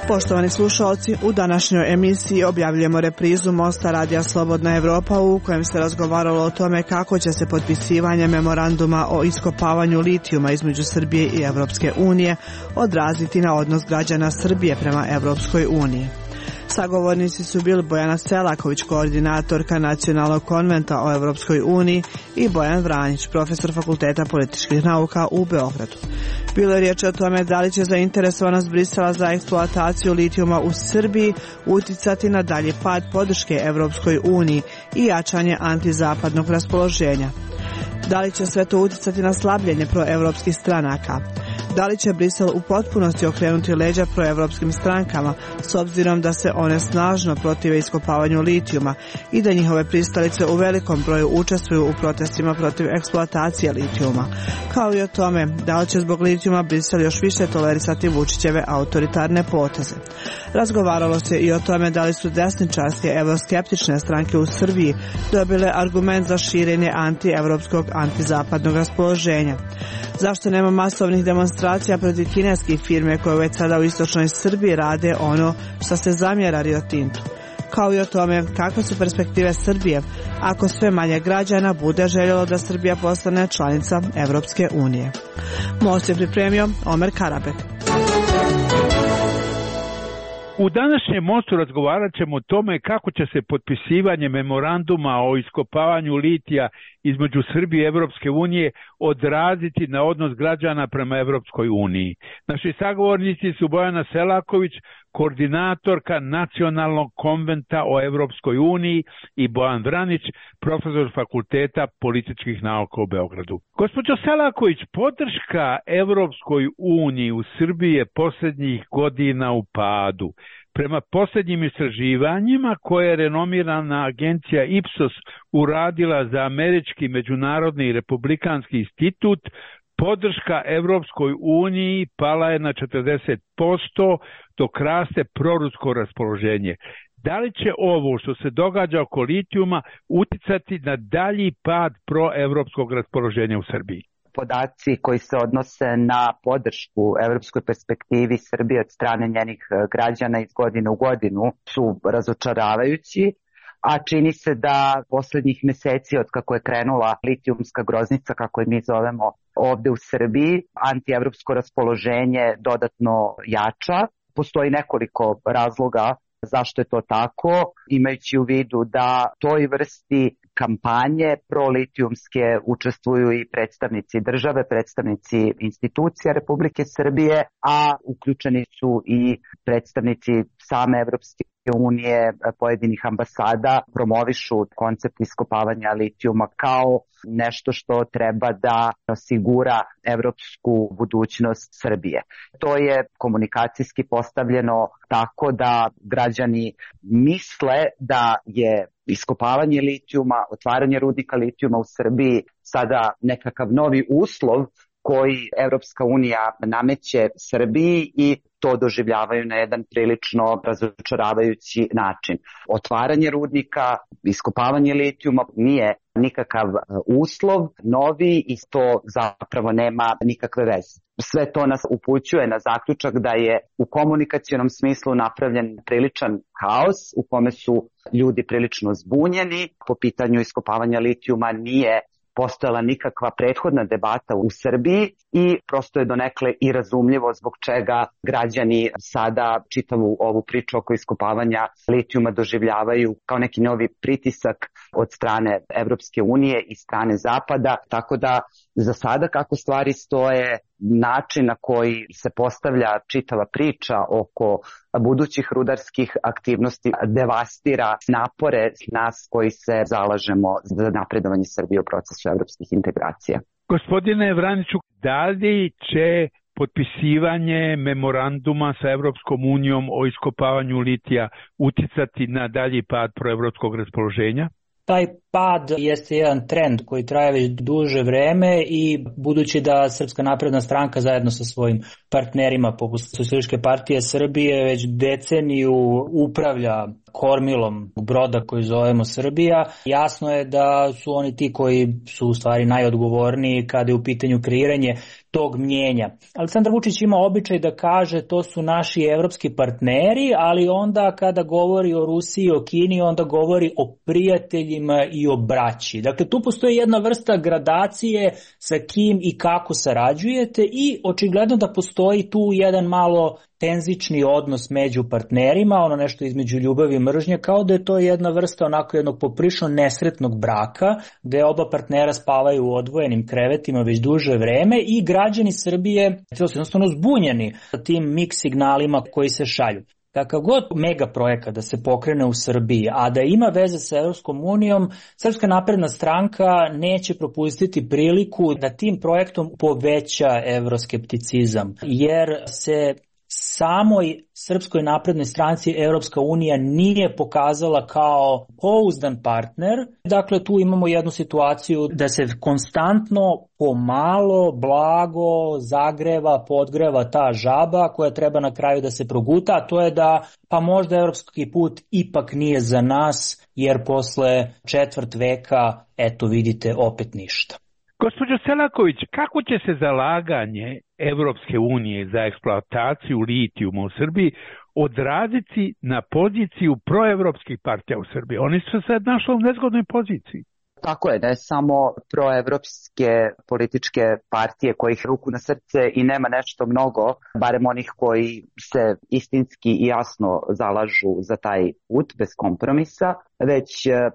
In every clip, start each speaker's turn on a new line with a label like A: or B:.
A: Poštovani slušalci, u današnjoj emisiji objavljujemo reprizu Mosta Radija Slobodna Evropa u kojem se razgovaralo o tome kako će se potpisivanje memoranduma o iskopavanju litijuma između Srbije i Evropske unije odraziti na odnos građana Srbije prema Evropskoj uniji. Sagovornici su bili Bojana Selaković, koordinatorka Nacionalnog konventa o Evropskoj uniji, i Bojan Vranjić, profesor Fakulteta političkih nauka u Beogradu. Bilo je riječ o tome da li će zainteresovanost Brisela za eksploataciju litijuma u Srbiji uticati na dalji pad podrške Evropskoj uniji i jačanje antizapadnog raspoloženja. Da li će sve to uticati na slabljenje proevropskih stranaka? Da li će Brisel u potpunosti okrenuti leđa proevropskim strankama s obzirom da se one snažno protive iskopavanju litijuma i da njihove pristalice u velikom broju učestvuju u protestima protiv eksploatacije litijuma, kao i o tome da li će zbog litijuma Brisel još više tolerisati Vučićeve autoritarne poteze. Razgovaralo se i o tome da li su desničarske evroskeptične stranke u Srbiji dobile argument za širenje antievropskog antizapadnog raspoloženja. Zašto nema masovnih demonstracija protiv kineskih firme koje već sada u istočnoj Srbiji rade ono što se zamjera Rio Tintu? Kao i o tome kakve su perspektive Srbije ako sve manje građana bude željelo da Srbija postane članica Evropske unije. Most je pripremio Omer Karabek.
B: U današnjem mostu razgovarat ćemo o tome kako će se potpisivanje memoranduma o iskopavanju litija između Srbije i Evropske unije odraziti na odnos građana prema Evropskoj uniji. Naši sagovornici su Bojana Selaković, koordinatorka Nacionalnog konventa o Evropskoj uniji, i Bojan Vranić, profesor Fakulteta političkih nauka u Beogradu. Gospođo Selaković, podrška Evropskoj uniji u Srbiji je posljednjih godina u padu. Prema posljednjim istraživanjima koje je renomirana agencija Ipsos uradila za Američki međunarodni republikanski institut, podrška Evropskoj uniji pala je na 40%, dok raste prorusko raspoloženje. Da li će ovo što se događa oko litijuma uticati na dalji pad proevropskog raspoloženja u Srbiji?
C: Podaci koji se odnose na podršku evropskoj perspektivi Srbije od strane njenih građana iz godine u godinu su razočaravajući, a čini se da posljednjih mjeseci od kako je krenula litijumska groznica, kako je mi zovemo ovdje u Srbiji, antievropsko raspoloženje dodatno jača. Postoji nekoliko razloga zašto je to tako, imajući u vidu da toj vrsti kampanje prolitijumske učestvuju i predstavnici države, predstavnici institucija Republike Srbije, a uključeni su i predstavnici same Evropske unije, pojedinih ambasada, promovišu koncept iskopavanja litijuma kao nešto što treba da osigura evropsku budućnost Srbije. To je komunikacijski postavljeno tako da građani misle da je iskopavanje litijuma, otvaranje rudnika litijuma u Srbiji sada nekakav novi uslov koji Evropska unija nameće Srbiji i to doživljavaju na jedan prilično razočaravajući način. Otvaranje rudnika, iskopavanje litijuma nije nikakav uslov novi i to zapravo nema nikakve veze. Sve to nas upućuje na zaključak da je u komunikacionom smislu napravljen priličan haos u kome su ljudi prilično zbunjeni. Po pitanju iskopavanja litijuma nije postojala nikakva prethodna debata u Srbiji i prosto je donekle i razumljivo zbog čega građani sada čitavu ovu priču oko iskopavanja litijuma doživljavaju kao neki novi pritisak od strane Evropske unije i strane Zapada, tako da za sada kako stvari stoje, način na koji se postavlja čitava priča oko budućih rudarskih aktivnosti devastira napore nas koji se zalažemo za napredovanje Srbije u procesu evropskih integracija.
B: Gospodine Vraniću, da li će potpisivanje memoranduma sa Evropskom unijom o iskopavanju litija uticati na dalji pad proevropskog raspoloženja?
D: Taj pad jeste jedan trend koji traje već duže vreme i budući da Srpska napredna stranka zajedno sa svojim partnerima poput Socijalističke partije Srbije već deceniju upravlja kormilom broda koji zovemo Srbija, jasno je da su oni ti koji su u stvari najodgovorniji kada je u pitanju kreiranje tog mnjenja. Aleksandar Vučić ima običaj da kaže to su naši evropski partneri, ali onda kada govori o Rusiji i o Kini, onda govori o prijateljima i o braći. Dakle, tu postoji jedna vrsta gradacije sa kim i kako sarađujete i očigledno da postoji tu jedan malo tenzični odnos među partnerima, ono nešto između ljubavi i mržnje, kao da je to jedna vrsta onako jednog poprilično nesretnog braka, gde oba partnera spavaju u odvojenim krevetima već duže vreme i građani Srbije su jednostavno zbunjeni tim mix signalima koji se šalju. Kakav god mega projekat da se pokrene u Srbiji, a da ima veze sa Evropskom unijom, Srpska napredna stranka neće propustiti priliku da tim projektom poveća evroskepticizam, jer se samoj Srpskoj naprednoj stranci Evropska unija nije pokazala kao pouzdan partner. Dakle, tu imamo jednu situaciju da se konstantno, pomalo, blago zagreva, podgreva ta žaba koja treba na kraju da se proguta, a to je da pa možda evropski put ipak nije za nas, jer posle četvrt veka, eto vidite, opet ništa.
B: Gospođo Selaković, kako će se zalaganje Evropske unije za eksploataciju litijuma u Srbiji odraziti na poziciju proevropskih partija u Srbiji? Oni su se našli u nezgodnoj poziciji.
C: Tako je, ne samo proevropske političke partije kojih ruku na srce i nema nešto mnogo, barem onih koji se istinski i jasno zalažu za taj put bez kompromisa, već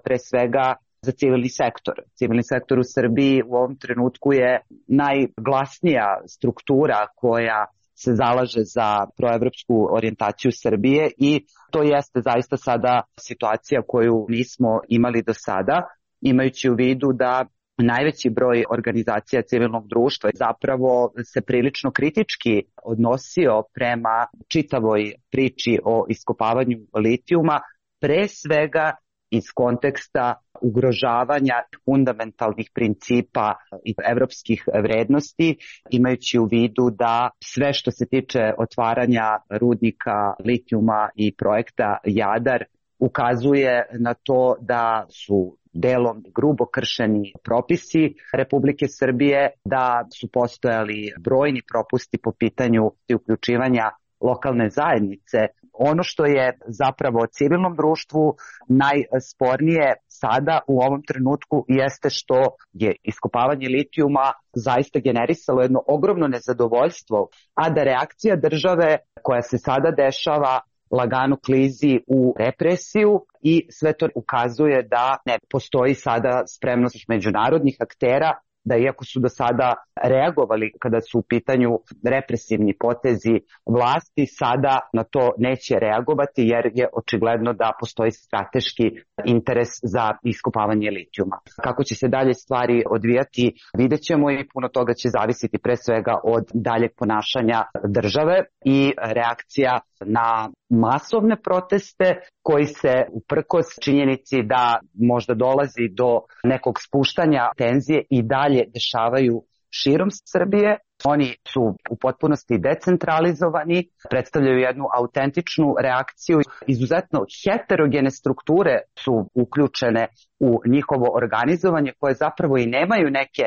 C: pre svega za civilni sektor. Civilni sektor u Srbiji u ovom trenutku je najglasnija struktura koja se zalaže za proevropsku orijentaciju Srbije i to jeste zaista sada situacija koju nismo imali do sada, imajući u vidu da najveći broj organizacija civilnog društva zapravo se prilično kritički odnosio prema čitavoj priči o iskopavanju litijuma, pre svega iz konteksta ugrožavanja fundamentalnih principa i evropskih vrednosti, imajući u vidu da sve što se tiče otvaranja rudnika litijuma i projekta Jadar ukazuje na to da su delom grubo kršeni propisi Republike Srbije, da su postojali brojni propusti po pitanju uključivanja lokalne zajednice. Ono što je zapravo civilnom društvu najspornije sada u ovom trenutku jeste što je iskopavanje litijuma zaista generisalo jedno ogromno nezadovoljstvo, a da reakcija države koja se sada dešava lagano klizi u represiju i sve to ukazuje da ne postoji sada spremnost međunarodnih aktera da iako su do sada reagovali kada su u pitanju represivni potezi vlasti, sada na to neće reagovati jer je očigledno da postoji strateški interes za iskopavanje litijuma. Kako će se dalje stvari odvijati, vidjet ćemo i puno toga će zavisiti pre svega od daljeg ponašanja države i reakcija na masovne proteste koji se uprkos činjenici da možda dolazi do nekog spuštanja tenzije i dalje dešavaju širom Srbije. Oni su u potpunosti decentralizovani, predstavljaju jednu autentičnu reakciju. Izuzetno heterogene strukture su uključene u njihovo organizovanje koje zapravo i nemaju neke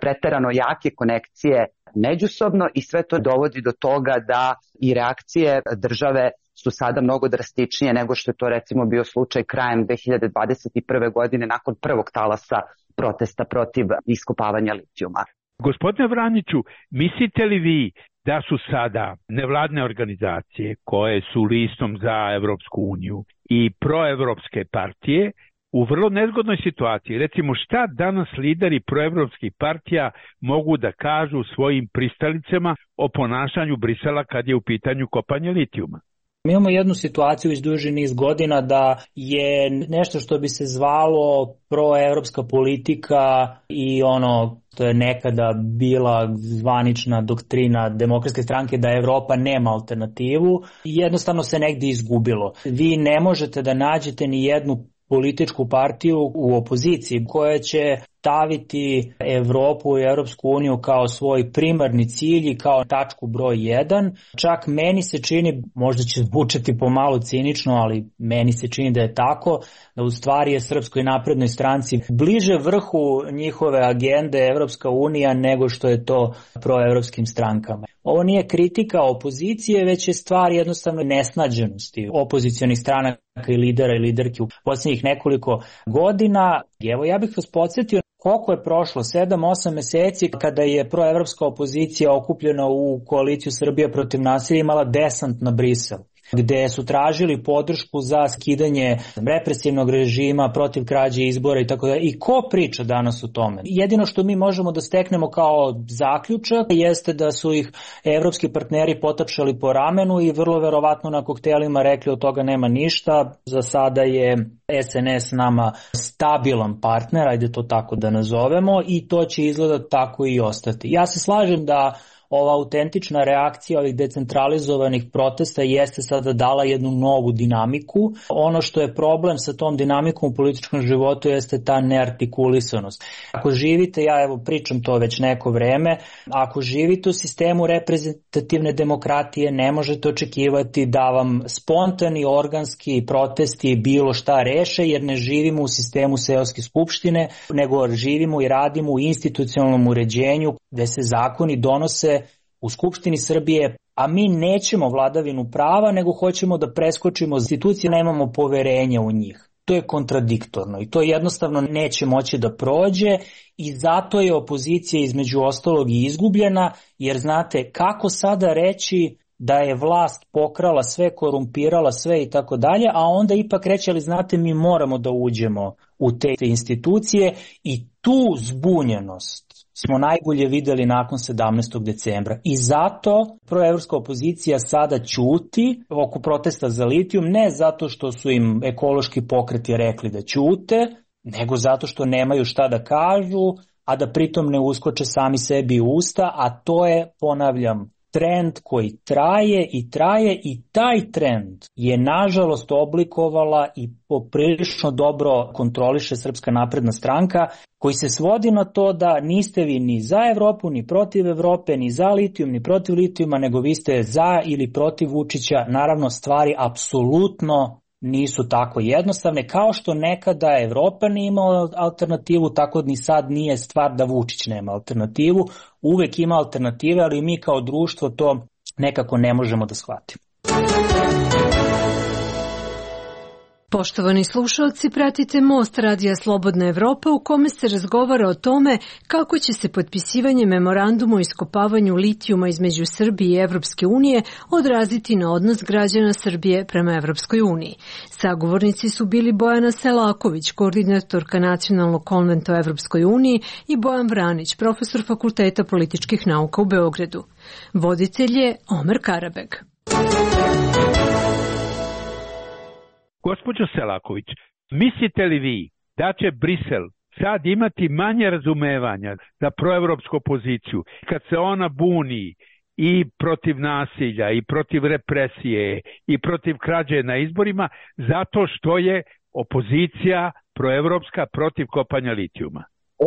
C: preterano jake konekcije međusobno i sve to dovodi do toga da i reakcije države su sada mnogo drastičnije nego što je to recimo bio slučaj krajem 2021. godine nakon prvog talasa protesta protiv iskopavanja litijuma.
B: Gospodine Vraniću, mislite li vi da su sada nevladne organizacije koje su listom za Evropsku uniju i proevropske partije u vrlo nezgodnoj situaciji? Recimo, šta danas lideri proevropskih partija mogu da kažu svojim pristalicama o ponašanju Brisela kad je u pitanju kopanje litijuma?
D: Mi imamo jednu situaciju već duži niz godina da je nešto što bi se zvalo proevropska politika i ono što je nekada bila zvanična doktrina Demokratske stranke da Evropa nema alternativu, jednostavno se negdje izgubilo. Vi ne možete da nađete ni jednu političku partiju u opoziciji koja će staviti Evropu i Europsku uniju kao svoj primarni cilj i kao tačku broj 1. Čak meni se čini, možda će zvučati pomalo cinično, ali meni se čini da je tako, da u stvari je Srpskoj naprednoj stranci bliže vrhu njihove agende Evropska unija nego što je to proevropskim strankama. Ovo nije kritika opozicije, već je stvar jednostavno nesnađenosti opozicionih stranaka i lidera i liderki u posljednjih nekoliko godina. Evo, ja bih vas podsjetio koliko je prošlo, 7-8 meseci kada je proevropska opozicija okupljena u koaliciju Srbija protiv nasilja imala desant na Brisel, gde su tražili podršku za skidanje represivnog režima protiv krađe izbora i tako da. I ko priča danas o tome? Jedino što mi možemo da steknemo kao zaključak jeste da su ih evropski partneri potapšali po ramenu i vrlo verovatno na koktelima rekli od toga nema ništa. Za sada je SNS nama stabilan partner, ajde to tako da nazovemo, i to će izgleda tako i ostati. Ja se slažem da ova autentična reakcija ovih decentralizovanih protesta jeste sada dala jednu novu dinamiku. Ono što je problem sa tom dinamikom u političkom životu jeste ta neartikulisanost. Ako živite, ja evo pričam to već neko vreme, ako živite u sistemu reprezentativne demokratije, ne možete očekivati da vam spontani organski protesti bilo šta reše, jer ne živimo u sistemu seoske skupštine, nego živimo i radimo u institucionalnom uređenju gde se zakoni donose u Skupštini Srbije, a mi nećemo vladavinu prava, nego hoćemo da preskočimo institucije, nemamo poverenja u njih. To je kontradiktorno i to jednostavno neće moći da prođe i zato je opozicija između ostalog i izgubljena, jer znate kako sada reći da je vlast pokrala sve, korumpirala sve i tako dalje, a onda ipak reći, ali znate, mi moramo da uđemo u te institucije i tu zbunjenost smo najbolje videli nakon 17. decembra. I zato proevropska opozicija sada ćuti oko protesta za litijum, ne zato što su im ekološki pokreti rekli da ćute, nego zato što nemaju šta da kažu, a da pritom ne uskoče sami sebi u usta, a to je, ponavljam, trend koji traje i taj trend je nažalost oblikovala i poprilično dobro kontroliše Srpska napredna stranka, koji se svodi na to da niste vi ni za Evropu, ni protiv Evrope, ni za litijum, ni protiv litijuma, nego vi ste za ili protiv Vučića. Naravno, stvari apsolutno nisu tako jednostavne, kao što nekada Evropa nije imala alternativu, tako ni sad nije stvar da Vučić nema alternativu, uvek ima alternative, ali mi kao društvo to nekako ne možemo da shvatimo.
E: Poštovani slušalci, pratite Most Radija Slobodna Evropa u kome se razgovara o tome kako će se potpisivanje memoranduma o iskopavanju litijuma između Srbije i Evropske unije odraziti na odnos građana Srbije prema Evropskoj uniji. Sagovornici su bili Bojana Selaković, koordinatorka Nacionalnog konventa o Evropskoj uniji, i Bojan Vranić, profesor Fakulteta političkih nauka u Beogradu. Voditelj je Omer Karabeg.
B: Gospođo Selaković, mislite li vi da će Brisel sad imati manje razumevanja za proevropsku opoziciju kad se ona buni i protiv nasilja i protiv represije i protiv krađe na izborima zato što je opozicija proevropska protiv kopanja litijuma?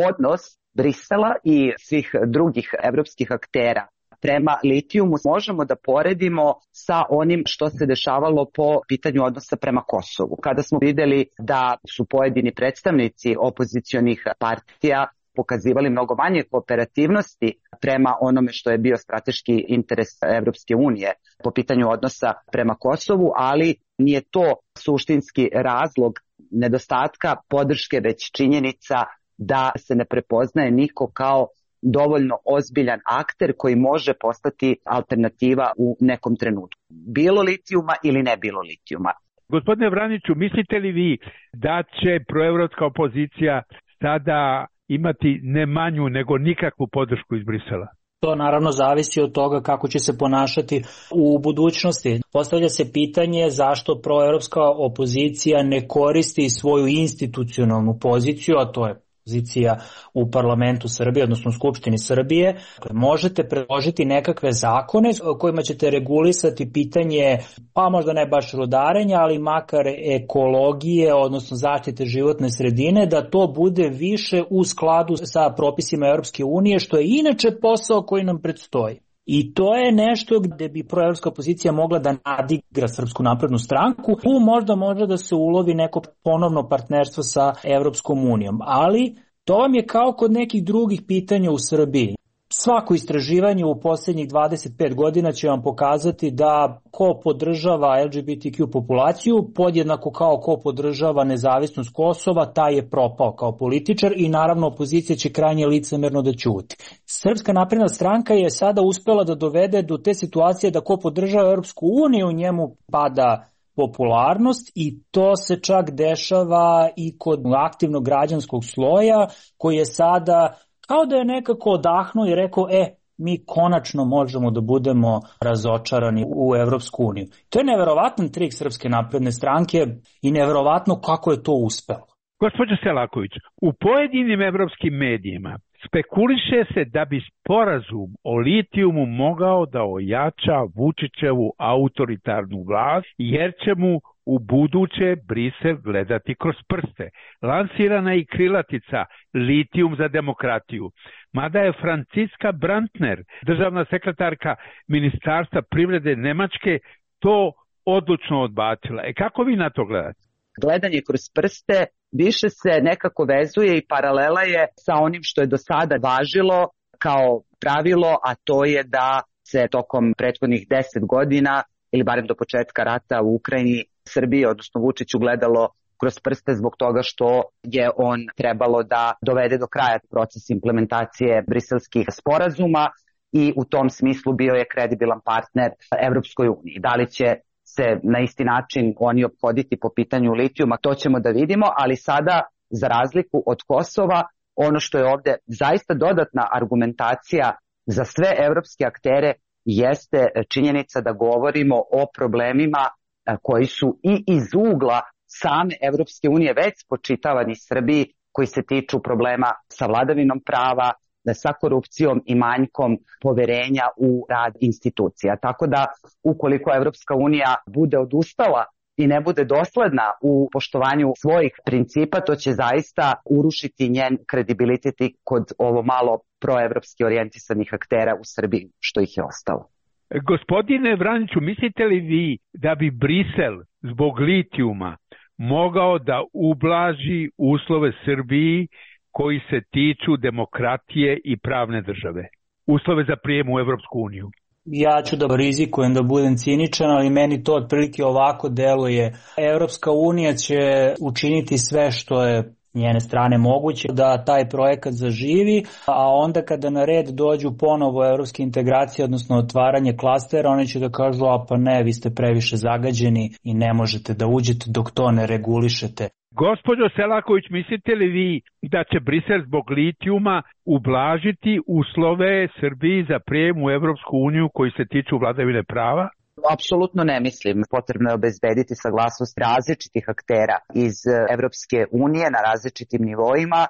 C: Odnos Brisela i svih drugih evropskih aktera prema litijumu možemo da poredimo sa onim što se dešavalo po pitanju odnosa prema Kosovu. Kada smo videli da su pojedini predstavnici opozicionih partija pokazivali mnogo manje kooperativnosti prema onome što je bio strateški interes Evropske unije po pitanju odnosa prema Kosovu, ali nije to suštinski razlog nedostatka podrške, već činjenica da se ne prepoznaje niko kao dovoljno ozbiljan akter koji može postati alternativa u nekom trenutku. Bilo litijuma ili ne bilo litijuma.
B: Gospodine Vraniću, mislite li vi da će proevropska opozicija sada imati ne manju nego nikakvu podršku iz Brisela?
D: To naravno zavisi od toga kako će se ponašati u budućnosti. Postavlja se pitanje zašto proevropska opozicija ne koristi svoju institucionalnu poziciju, a to je pozicija u parlamentu Srbije, odnosno u Skupštini Srbije. Možete predložiti nekakve zakone kojima ćete regulisati pitanje, pa možda ne baš rudarenja, ali makar ekologije, odnosno zaštite životne sredine, da to bude više u skladu sa propisima Europske unije, što je inače posao koji nam predstoji. I to je nešto gde bi proevropska opozicija mogla da nadigra Srpsku naprednu stranku. Tu možda može da se ulovi neko ponovno partnerstvo sa Evropskom unijom, ali to vam je kao kod nekih drugih pitanja u Srbiji. Svako istraživanje u posljednjih 25 godina će vam pokazati da ko podržava LGBTQ populaciju, podjednako kao ko podržava nezavisnost Kosova, taj je propao kao političar i naravno opozicija će krajnje licemerno da ćuti. Srpska napredna stranka je sada uspela da dovede do te situacije da ko podržava Europsku uniju, njemu pada popularnost i to se čak dešava i kod aktivnog građanskog sloja koji je sada kao da je nekako odahnuo i rekao, mi konačno možemo da budemo razočarani u Evropsku uniju. To je neverovatan trik Srpske napredne stranke i neverovatno kako je to uspelo.
B: Gospođo Selaković, u pojedinim evropskim medijima spekuliše se da bi sporazum o litijumu mogao da ojača Vučićevu autoritarnu vlast, jer će mu u buduće Brisel gledati kroz prste. Lansirana je i krilatica litijum za demokratiju. Mada je Franciska Brantner, državna sekretarka Ministarstva privrede Nemačke, to odlučno odbacila. Kako vi na to gledate?
C: Gledanje kroz prste više se nekako vezuje i paralela je sa onim što je do sada važilo kao pravilo, a to je da se tokom prethodnih 10 godina ili barem do početka rata u Ukrajini Srbije, odnosno Vučiću, gledalo kroz prste zbog toga što je on trebalo da dovede do kraja proces implementacije briselskih sporazuma i u tom smislu bio je kredibilan partner Evropskoj uniji. Da li će se na isti način oni ophoditi po pitanju litijuma, to ćemo da vidimo, ali sada, za razliku od Kosova, ono što je ovde zaista dodatna argumentacija za sve evropske aktere jeste činjenica da govorimo o problemima koji su i iz ugla same Evropske unije već spočitavani Srbiji, koji se tiču problema sa vladavinom prava, sa korupcijom i manjkom poverenja u rad institucija. Tako da, ukoliko Evropska unija bude odustala i ne bude dosledna u poštovanju svojih principa, to će zaista urušiti njen kredibilitet kod ovo malo proevropski orijentisanih aktera u Srbiji, što ih je ostalo.
B: Gospodine Vraniću, mislite li vi da bi Brisel zbog litijuma mogao da ublaži uslove Srbiji koji se tiču demokratije i pravne države? Uslove za prijem u Evropsku uniju?
D: Ja ću da rizikujem da budem ciničan, ali meni to otprilike ovako deluje. Evropska unija će učiniti sve što je njene strane moguće da taj projekat zaživi, a onda kada na red dođu ponovo evropske integracije, odnosno otvaranje klastera, oni će da kažu, pa ne, vi ste previše zagađeni i ne možete da uđete dok to ne regulišete.
B: Gospođo Selaković, mislite li vi da će Brisel zbog litijuma ublažiti uslove Srbiji za prijem u Evropsku uniju koji se tiču vladavine prava?
C: Apsolutno ne mislim. Potrebno je obezbediti saglasnost različitih aktera iz Evropske unije na različitim nivoima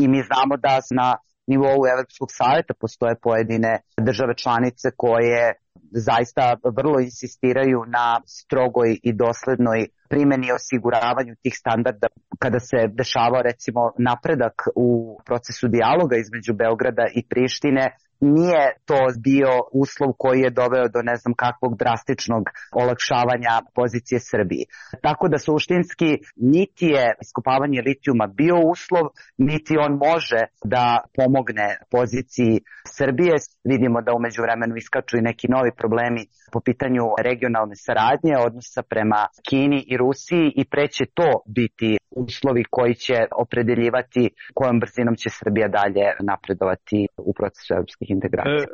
C: i mi znamo da na nivou Evropskog saveta postoje pojedine države članice koje zaista vrlo insistiraju na strogoj i doslednoj primjeni i osiguravanju tih standarda. Kada se dešavao recimo napredak u procesu dijaloga između Beograda i Prištine, nije to bio uslov koji je doveo do ne znam kakvog drastičnog olakšavanja pozicije Srbiji. Tako da suštinski niti je iskopavanje litijuma bio uslov, niti on može da pomogne poziciji Srbije. Vidimo da umeđu vremenu iskaču i neki novi problemi po pitanju regionalne saradnje, odnosa prema Kini i Rusiji i preće to biti uslovi koji će opredeljivati kojom brzinom će Srbija dalje napredovati u procesu evropskih integracija.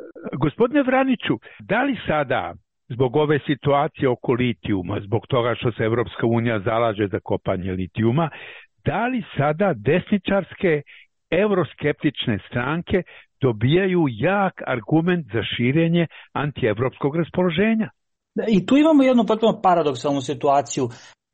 B: Gospodine Vraniću, da li sada zbog ove situacije oko litijuma, zbog toga što se Evropska unija zalaže za kopanje litijuma, da li sada desničarske euroskeptične stranke dobijaju jak argument za širenje antievropskog raspoloženja?
D: I tu imamo jednu potpuno paradoksalnu situaciju.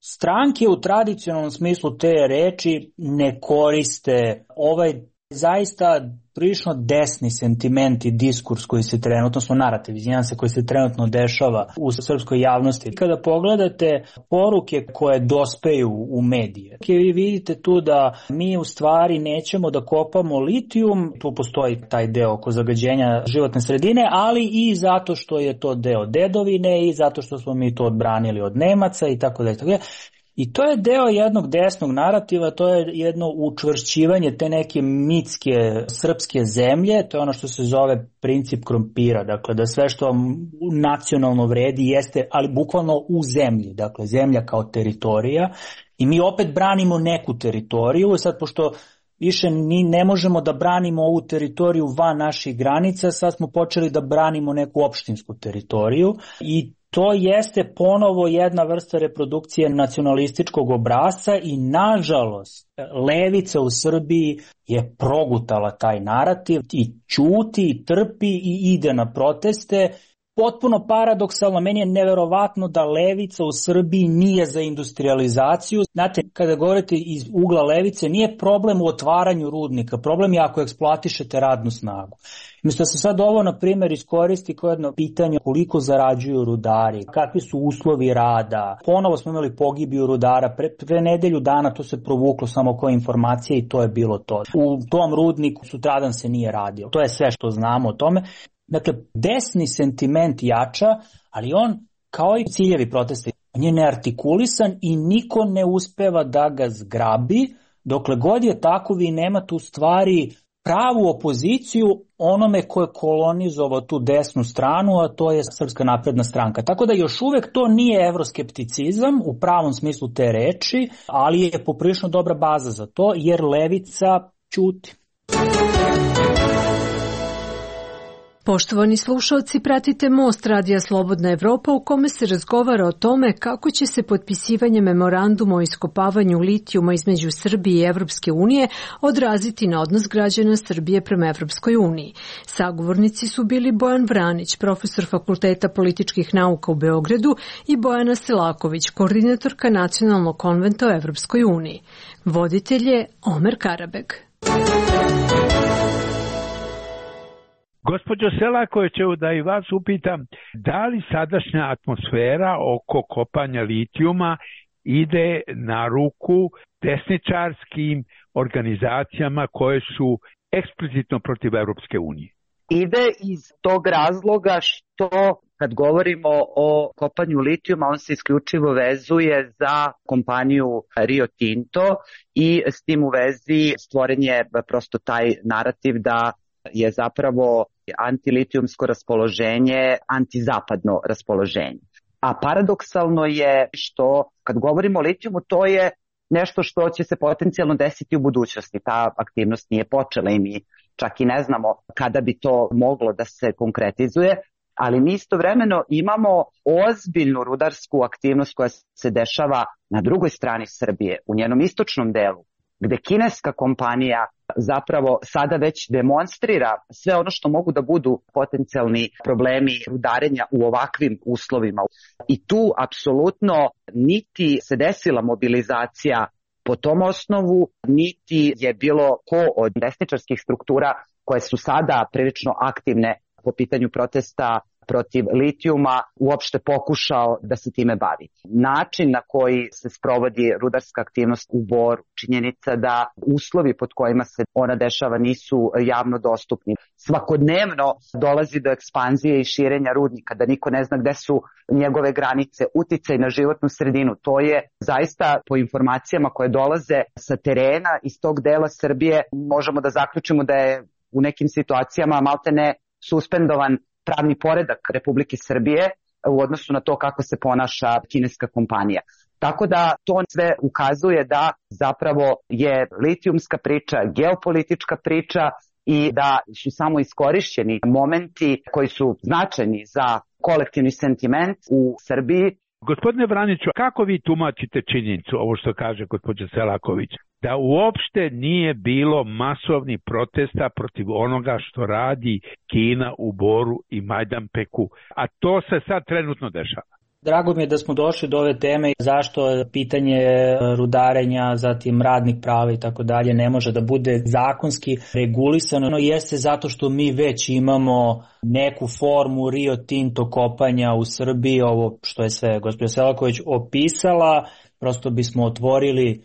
D: Stranke u tradicionalnom smislu te reči ne koriste ovaj zaista prilično desni sentiment i diskurs koji se trenutno, odnosno narativ, koji se trenutno dešava u srpskoj javnosti. Kada pogledate poruke koje dospeju u medije, vi vidite tu da mi u stvari nećemo da kopamo litijum, tu postoji taj deo oko zagađenja životne sredine, ali i zato što je to deo dedovine i zato što smo mi to odbranili od Nemaca i tako dalje. I to je deo jednog desnog narativa, to je jedno učvršćivanje te neke mitske srpske zemlje, to je ono što se zove princip krompira, dakle da sve što nacionalno vredi jeste, ali bukvalno u zemlji, dakle zemlja kao teritorija i mi opet branimo neku teritoriju, sad pošto više ni ne možemo da branimo ovu teritoriju van naših granica, sad smo počeli da branimo neku opštinsku teritoriju i to jeste ponovo jedna vrsta reprodukcije nacionalističkog obrasca i nažalost levica u Srbiji je progutala taj narativ i ćuti, i trpi i ide na proteste. Potpuno paradoksalno, meni je neverovatno da levica u Srbiji nije za industrializaciju. Znate, kada govorite iz ugla levice, nije problem u otvaranju rudnika, problem je ako eksploatišete radnu snagu. Umjesto da se sad ovo, na primjer, iskoristi kao jedno pitanje koliko zarađuju rudari, kakvi su uslovi rada. Ponovo smo imali pogibiju rudara, pre nedelju dana to se provuklo samo kao informacije i to je bilo to. U tom rudniku sutradan se nije radio. To je sve što znamo o tome. Dakle, desni sentiment jača, ali on, kao i ciljevi protesta, on je neartikulisan i niko ne uspeva da ga zgrabi. Dokle god je tako, vi nemate u stvari pravu opoziciju onome ko je kolonizovao tu desnu stranu, a to je Srpska napredna stranka. Tako da još uvek to nije evroskepticizam u pravom smislu te reči, ali je poprilično dobra baza za to, jer levica ćuti.
E: Poštovani slušalci, pratite Most Radija Slobodna Evropa u kome se razgovara o tome kako će se potpisivanje memoranduma o iskopavanju litijuma između Srbije i Evropske unije odraziti na odnos građana Srbije prema Evropskoj uniji. Sagovornici su bili Bojan Vranić, profesor Fakulteta političkih nauka u Beogradu, i Bojana Selaković, koordinatorka Nacionalnog konventa o Evropskoj uniji. Voditelj je Omer Karabeg.
B: Gospođo Selaković, da i vas upitam, da li sadašnja atmosfera oko kopanja litijuma ide na ruku desničarskim organizacijama koje su eksplicitno protiv Evropske unije?
C: Ide iz tog razloga što kad govorimo o kopanju litijuma, on se isključivo vezuje za kompaniju Rio Tinto i s tim u vezi stvoren je prosto taj narativ da je zapravo antilitijumsko raspoloženje antizapadno raspoloženje. A paradoksalno je što kad govorimo o litijumu, to je nešto što će se potencijalno desiti u budućnosti. Ta aktivnost nije počela i mi čak i ne znamo kada bi to moglo da se konkretizuje, ali mi istovremeno imamo ozbiljnu rudarsku aktivnost koja se dešava na drugoj strani Srbije, u njenom istočnom delu, gde kineska kompanija zapravo sada već demonstrira sve ono što mogu da budu potencijalni problemi rudarenja u ovakvim uslovima. I tu apsolutno niti se desila mobilizacija po tom osnovu, niti je bilo ko od desničarskih struktura koje su sada prilično aktivne po pitanju protesta protiv litijuma uopšte pokušao da se time bavi. Način na koji se sprovodi rudarska aktivnost u Boru, činjenica da uslovi pod kojima se ona dešava nisu javno dostupni. Svakodnevno dolazi do ekspanzije i širenja rudnika, da niko ne zna gde su njegove granice, uticaj na životnu sredinu. To je zaista, po informacijama koje dolaze sa terena iz tog dela Srbije, možemo da zaključimo da je u nekim situacijama maltene suspendovan pravni poredak Republike Srbije u odnosu na to kako se ponaša kineska kompanija. Tako da to sve ukazuje da zapravo je litijumska priča, geopolitička priča i da su samo iskorišćeni momenti koji su značajni za kolektivni sentiment u Srbiji.
B: Gospodine Vraniću, kako vi tumačite činjenicu, ovo što kaže gospođa Selaković, da uopšte nije bilo masovnih protesta protiv onoga što radi Kina u Boru i Majdanpeku, a to se sad trenutno dešava?
D: Drago mi je da smo došli do ove teme, zašto pitanje rudarenja, zatim radnih prava i tako dalje ne može da bude zakonski regulisano, jeste zato što mi već imamo neku formu Rio Tinto kopanja u Srbiji, ovo što je sve gospođa Selaković opisala, prosto bismo otvorili,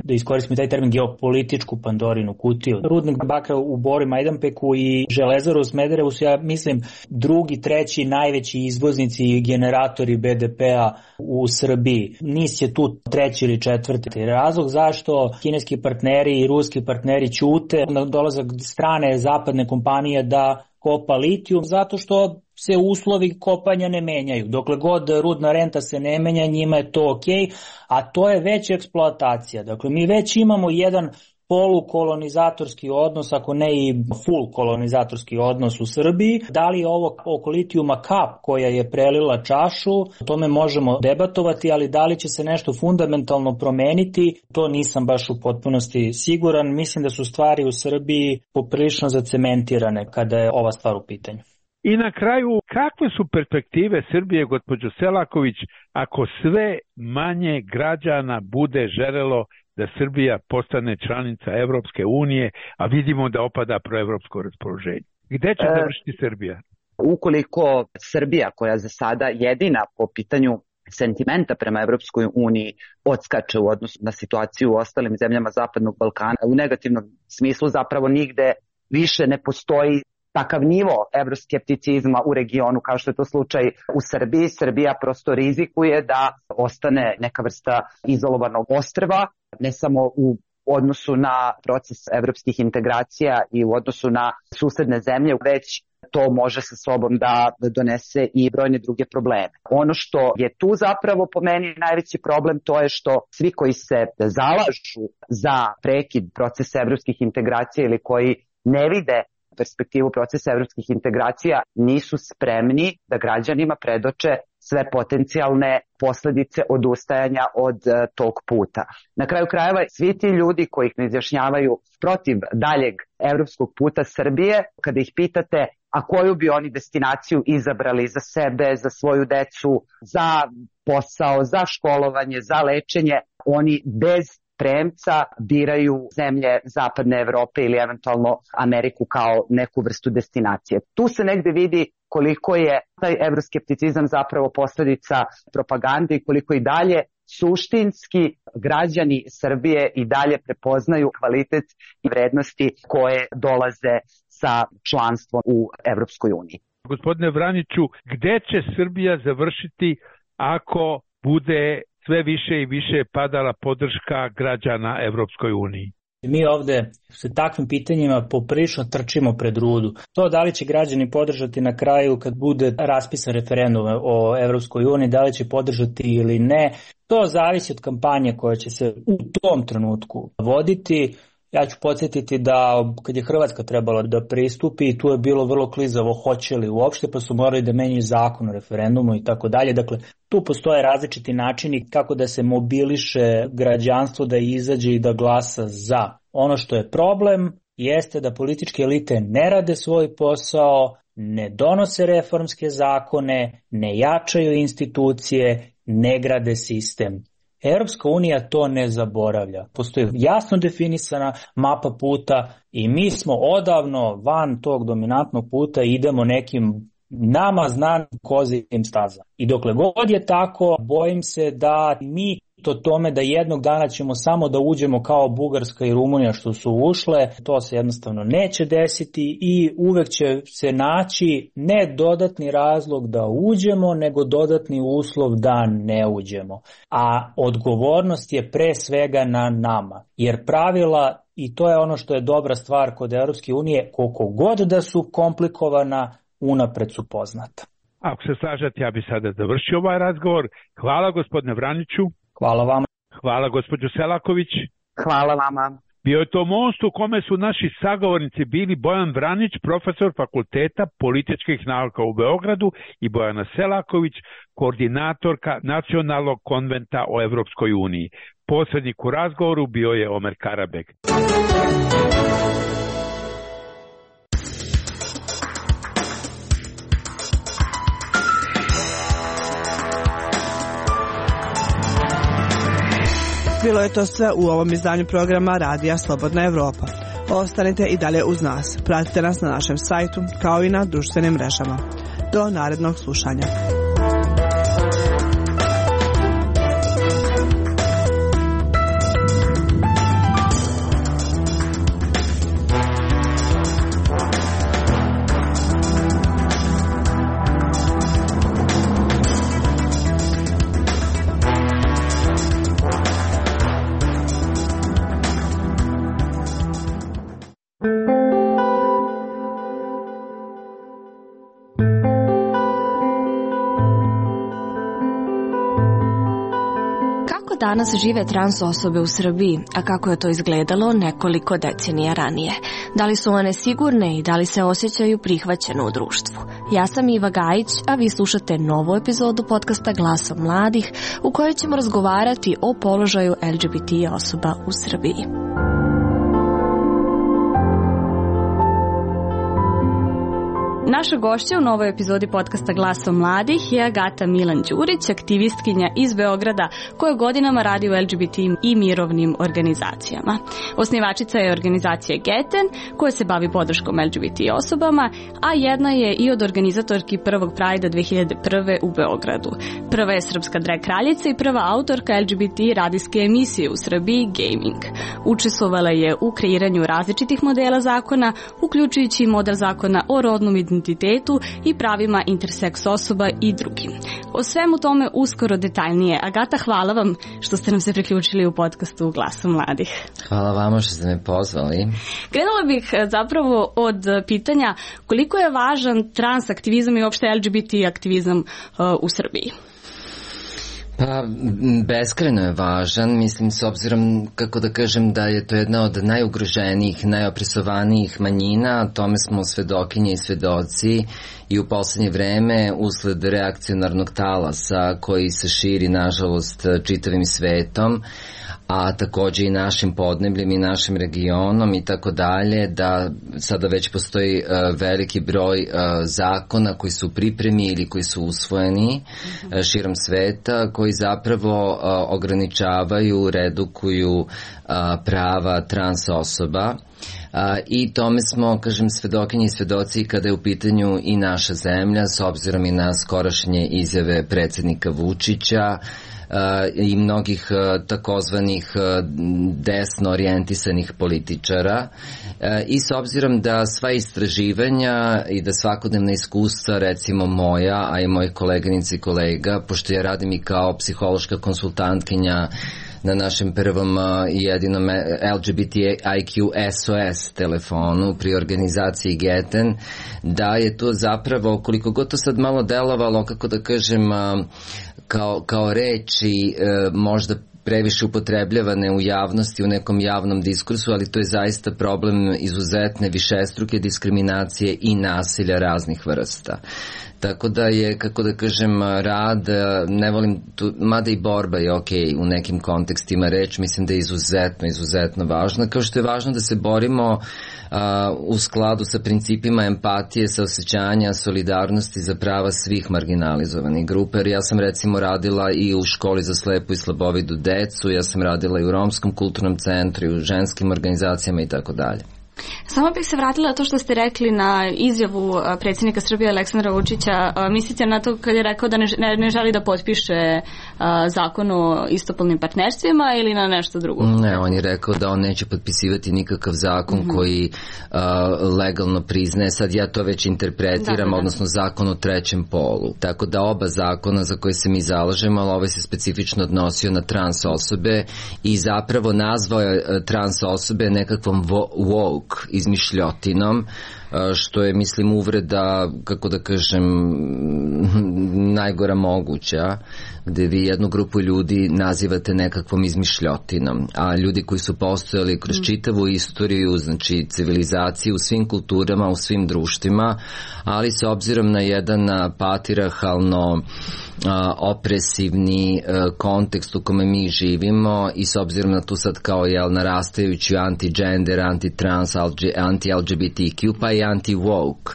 D: da iskoristimo taj termin, geopolitičku Pandorinu kutiju. Rudnik bakra u Boru i Majdanpeku i Železaru u Smederevu su, ja mislim, drugi, treći najveći izvoznici i generatori BDP-a u Srbiji. NIS je tu treći ili četvrti. Razlog zašto kineski partneri i ruski partneri ćute na dolazak strane zapadne kompanije da kopa litijum, zato što se uslovi kopanja ne menjaju. Dokle god rudna renta se ne menja, njima je to okej, a to je već eksploatacija. Dakle, mi već imamo jedan polukolonizatorski odnos, ako ne i full kolonizatorski odnos u Srbiji. Da li je ovo oko litijuma kap koja je prelila čašu, o tome možemo debatovati, ali da li će se nešto fundamentalno promeniti, to nisam baš u potpunosti siguran. Mislim da su stvari u Srbiji poprilično zacementirane kada je ova stvar u pitanju.
B: I na kraju, kakve su perspektive Srbije, gospođo Selaković, ako sve manje građana bude želelo da Srbija postane članica Evropske unije, a vidimo da opada proevropsko raspoloženje? Gde će završiti Srbija?
C: Ukoliko Srbija, koja za sada jedina po pitanju sentimenta prema Evropskoj uniji odskače u odnosu na situaciju u ostalim zemljama Zapadnog Balkana, u negativnom smislu zapravo nigde više ne postoji takav nivo evroskepticizma u regionu kao što je to slučaj u Srbiji. Srbija prosto rizikuje da ostane neka vrsta izolovanog ostrva, ne samo u odnosu na proces evropskih integracija i u odnosu na susedne zemlje, već to može sa sobom da donese i brojne druge probleme. Ono što je tu zapravo po meni najveći problem, to je što svi koji se zalažu za prekid procesa evropskih integracija ili koji ne vide perspektivu procesa evropskih integracija nisu spremni da građanima predoče sve potencijalne posledice odustajanja od tog puta. Na kraju krajeva, svi ti ljudi koji ne izjašnjavaju protiv daljeg evropskog puta Srbije, kada ih pitate a koju bi oni destinaciju izabrali za sebe, za svoju decu, za posao, za školovanje, za lečenje, oni bez premca biraju zemlje Zapadne Evrope ili eventualno Ameriku kao neku vrstu destinacije. Tu se negde vidi koliko je taj evroskepticizam zapravo posljedica propagande i koliko i dalje suštinski građani Srbije i dalje prepoznaju kvalitet i vrednosti koje dolaze sa članstvom u Evropskoj uniji.
B: Gospodine Vraniću, gde će Srbija završiti ako bude sve više i više padala podrška građana Evropskoj uniji?
D: Mi ovde sa takvim pitanjima poprilično trčimo pred rudu. To da li će građani podržati na kraju kad bude raspisan referendum o Evropskoj uniji, da li će podržati ili ne, to zavisi od kampanje koja će se u tom trenutku voditi. Ja ću podsjetiti da kad je Hrvatska trebala da pristupi, tu je bilo vrlo klizavo hoće li uopšte, pa su morali da menjaju zakon o referendumu i tako dalje. Dakle, tu postoje različiti načini kako da se mobiliše građanstvo da izađe i da glasa za. Ono što je problem jeste da političke elite ne rade svoj posao, ne donose reformske zakone, ne jačaju institucije, ne grade sistem. Europska unija to ne zaboravlja. Postoji jasno definisana mapa puta i mi smo odavno van tog dominantnog puta i idemo nekim nama znanim kozijim stazama. I dokle god je tako, bojim se da mi to tome da jednog dana ćemo samo da uđemo kao Bugarska i Rumunija što su ušle, to se jednostavno neće desiti i uvek će se naći ne dodatni razlog da uđemo, nego dodatni uslov da ne uđemo. A odgovornost je pre svega na nama, jer pravila, i to je ono što je dobra stvar kod Europske unije, koliko god da su komplikovana, unapred su poznata.
B: Ako se slažete, ja bi sada završio ovaj razgovor. Hvala gospodine Vraniću.
D: Hvala vama.
B: Hvala gospođo Selaković.
C: Hvala vama.
B: Bio je to most u kome su naši sagovornici bili Bojan Vranić, profesor Fakulteta političkih nauka u Beogradu, i Bojana Selaković, koordinatorka Nacionalnog konventa o Evropskoj uniji. Posrednik u razgovoru bio je Omer Karabek.
A: Bilo je to sve u ovom izdanju programa Radija Slobodna Evropa. Ostanite i dalje uz nas. Pratite nas na našem sajtu kao i na društvenim mrežama. Do narednog slušanja.
F: Danas žive trans osobe u Srbiji, a kako je to izgledalo nekoliko decenija ranije? Da li su one sigurne i da li se osjećaju prihvaćeno u društvu? Ja sam Iva Gajić, a vi slušate novu epizodu podcasta Glasom mladih u kojoj ćemo razgovarati o položaju LGBT osoba u Srbiji. Naša gošća u novoj epizodi podcasta Glasom mladih je Agata Milan Đurić, aktivistkinja iz Beograda koja godinama radi u LGBT i mirovnim organizacijama. Osnivačica je organizacije Geten koja se bavi podrškom LGBT osobama, a jedna je i od organizatorki prvog Prajda 2001. u Beogradu. Prva je srpska drag kraljica i prva autorka LGBT radijske emisije u Srbiji Gaming. Učestvovala je u kreiranju različitih modela zakona, uključujući model zakona o rodnom identitetu i pravima interseks osoba i drugim. O svemu tome uskoro detaljnije. Agata, hvala vam što ste nam se priključili u podcastu Glasom mladih.
G: Hvala vama što ste me pozvali.
F: Krenula bih zapravo od pitanja koliko je važan trans aktivizam i uopšte LGBT aktivizam u Srbiji?
G: Pa, beskrajno je važan, mislim, s obzirom, kako da kažem, da je to jedna od najugroženijih, najopresovanijih manjina, tome smo svedokinje i svedoci i u poslednje vreme usled reakcionarnog talasa koji se širi, nažalost, čitavim svetom, a takođe i našim podnebljem i našim regionom i tako dalje, da sada već postoji veliki broj zakona koji su u pripremi ili koji su usvojeni širom sveta, koji zapravo ograničavaju, redukuju prava trans osoba. I tome smo, kažem, svedokinji i svedoci kada je u pitanju i naša zemlja, s obzirom i na skorašnje izjave predsednika Vučića, i mnogih takozvanih desno orijentisanih političara i s obzirom da sva istraživanja i da svakodnevna iskustva, recimo moja, a i mojih koleganica i kolega, pošto ja radim i kao psihološka konsultantkinja na našem prvom i jedinom LGBTIQ SOS telefonu pri organizaciji Geten, da je to zapravo, koliko god to sad malo delovalo, kako da kažem, kao reči možda previše upotrebljavane u javnosti, u nekom javnom diskursu, ali to je zaista problem izuzetne višestruke diskriminacije i nasilja raznih vrsta. Tako da je, kako da kažem, rad, ne volim tu, mada i borba je okej u nekim kontekstima reč, mislim da je izuzetno važno, kao što je važno da se borimo u skladu sa principima empatije, saosećanja, solidarnosti za prava svih marginalizovanih grupa, jer ja sam recimo radila i u školi za slepu i slabovidu decu, ja sam radila i u Romskom kulturnom centru, i u ženskim organizacijama i tako dalje.
F: Samo bih se vratila to što ste rekli na izjavu predsjednika Srbije Aleksandra Vučića. Mislite na to kad je rekao da ne želi da potpiše zakon o istopolnim partnerstvima ili na nešto drugo?
G: Ne, on je rekao da on neće potpisivati nikakav zakon koji legalno priznaje, sad ja to već interpretiram, odnosno zakon o trećem polu. Tako da oba zakona za koje se mi zalažemo, ali ovaj se specifično odnosio na trans osobe i zapravo nazvao je trans osobe nekakvom woke izmišljotinom, što je, mislim, uvreda, kako da kažem, najgora moguća, gde vi jednu grupu ljudi nazivate nekakvom izmišljotinom, a ljudi koji su postojali kroz čitavu istoriju, znači civilizaciju u svim kulturama, u svim društvima, ali s obzirom na jedan patrijarhalno opresivni kontekst u kome mi živimo i s obzirom na tu sad kao narastajuću anti-gender, anti-trans, anti-LGBTQ, pa i anti-woke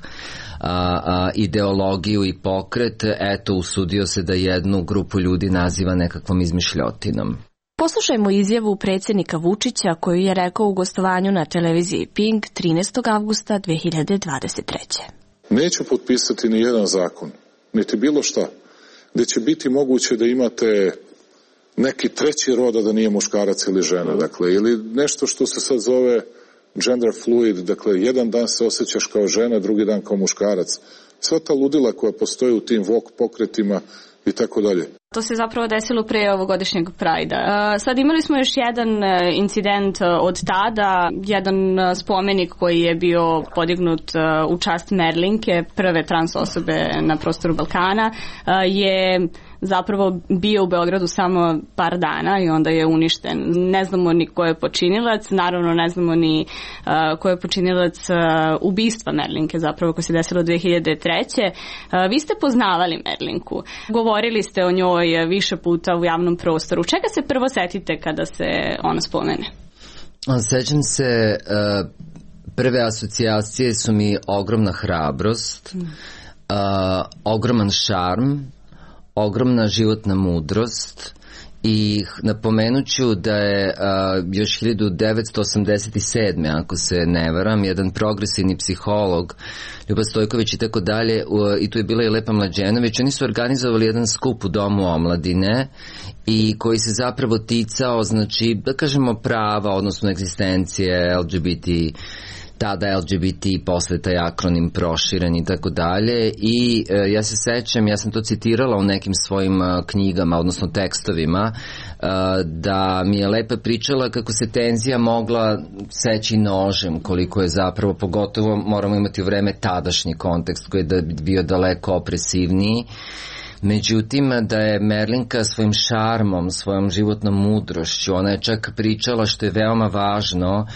G: ideologiju i pokret, eto, usudio se da jednu grupu ljudi naziva nekakvom izmišljotinom.
F: Poslušajmo izjavu predsjednika Vučića koju je rekao u gostovanju na televiziji Pink 13. avgusta 2023.
H: Neću potpisati ni jedan zakon, niti bilo šta, gde će biti moguće da imate neki treći rod, da nije muškarac ili žena, dakle, ili nešto što se sad zove gender fluid, dakle, jedan dan se osjećaš kao žena, drugi dan kao muškarac. Sva ta ludila koja postoji u tim woke pokretima i tako dalje.
F: To se zapravo desilo pre ovogodišnjeg Prajda. Sad imali smo još jedan incident od tada, jedan spomenik koji je bio podignut u čast Merlinke, prve trans osobe na prostoru Balkana, je zapravo bio u Beogradu samo par dana i onda je uništen. Ne znamo ni ko je počinilac, naravno ne znamo ni ko je počinilac ubistva Merlinke, zapravo koje se desilo 2003. Vi ste poznavali Merlinku, govorili ste o njoj više puta u javnom prostoru. Čega se prvo setite kada se ona spomene?
G: Sećam se, prve asocijacije su mi ogromna hrabrost, ogroman šarm, ogromna životna mudrost i napomenuću da je još 1987. ako se ne varam, jedan progresivni psiholog Ljuba Stojković i tako dalje, i tu je bila i Lepa Mlađenović, oni su organizovali jedan skup u Domu omladine i koji se zapravo ticao, znači, da kažemo prava, odnosno egzistencije LGBT, tada LGBT, posle taj akronim proširen i tako dalje, i ja se sećam, ja sam to citirala u nekim svojim knjigama, odnosno tekstovima, da mi je Lepa pričala kako se tenzija mogla seći nožem, koliko je zapravo, pogotovo moramo imati u vreme tadašnji kontekst koji je bio daleko opresivniji. Međutim, da je Merlinka svojim šarmom, svojom životnom mudrošću, ona je čak pričala, što je veoma važno,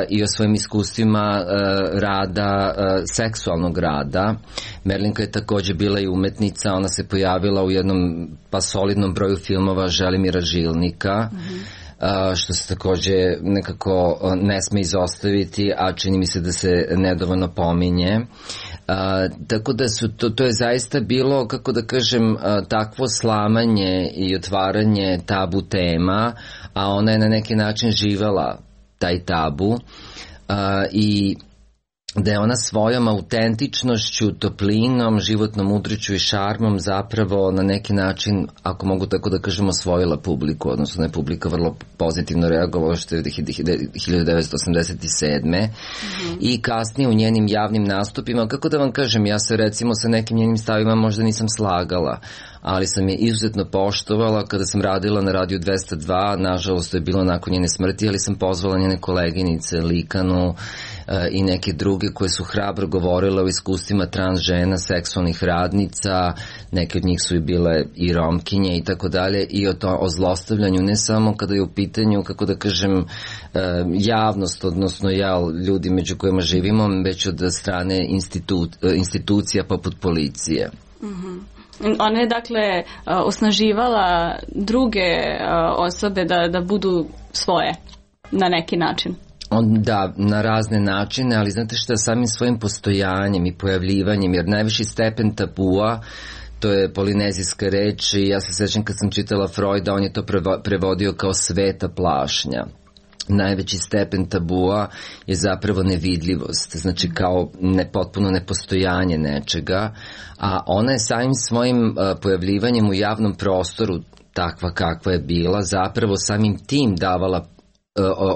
G: i o svojim iskustvima rada, seksualnog rada. Merlinka je takođe bila i umetnica, ona se pojavila u jednom solidnom broju filmova Želimira Žilnika, što se takođe nekako ne sme izostaviti, a čini mi se da se nedovoljno pominje. Tako da to je zaista bilo, kako da kažem, takvo slamanje i otvaranje tabu tema, a ona je na neki način živela taj tabu i da je ona svojom autentičnošću, toplinom, životnom mudriću i šarmom zapravo na neki način, ako mogu tako da kažem, osvojila publiku, odnosno je publika vrlo pozitivno reagovala, što je 1987. I kasnije u njenim javnim nastupima, kako da vam kažem, ja se recimo sa nekim njenim stavima možda nisam slagala, ali sam je izuzetno poštovala kada sam radila na Radiju 202, nažalost to je bilo nakon njene smrti, ali sam pozvala njene koleginice Likanu i neke druge koje su hrabro govorile o iskustvima trans žena, seksualnih radnica, neke od njih su i bile i romkinje i tako dalje, i o zlostavljanju, ne samo kada je u pitanju, kako da kažem, javnost, odnosno ljudi među kojima živimo, već od strane institucija poput policije.
F: Ona je dakle osnaživala druge osobe da budu svoje na neki način.
G: Da, na razne načine, ali znate šta, samim svojim postojanjem i pojavljivanjem, jer najviši stepen tabua, to je polinezijska reč, i ja se sećam kad sam čitala Freuda, on je to prevodio kao sveta plašnja. Najveći stepen tabua je zapravo nevidljivost, znači kao potpuno nepostojanje nečega, a ona je samim svojim pojavljivanjem u javnom prostoru, takva kakva je bila, zapravo samim tim davala,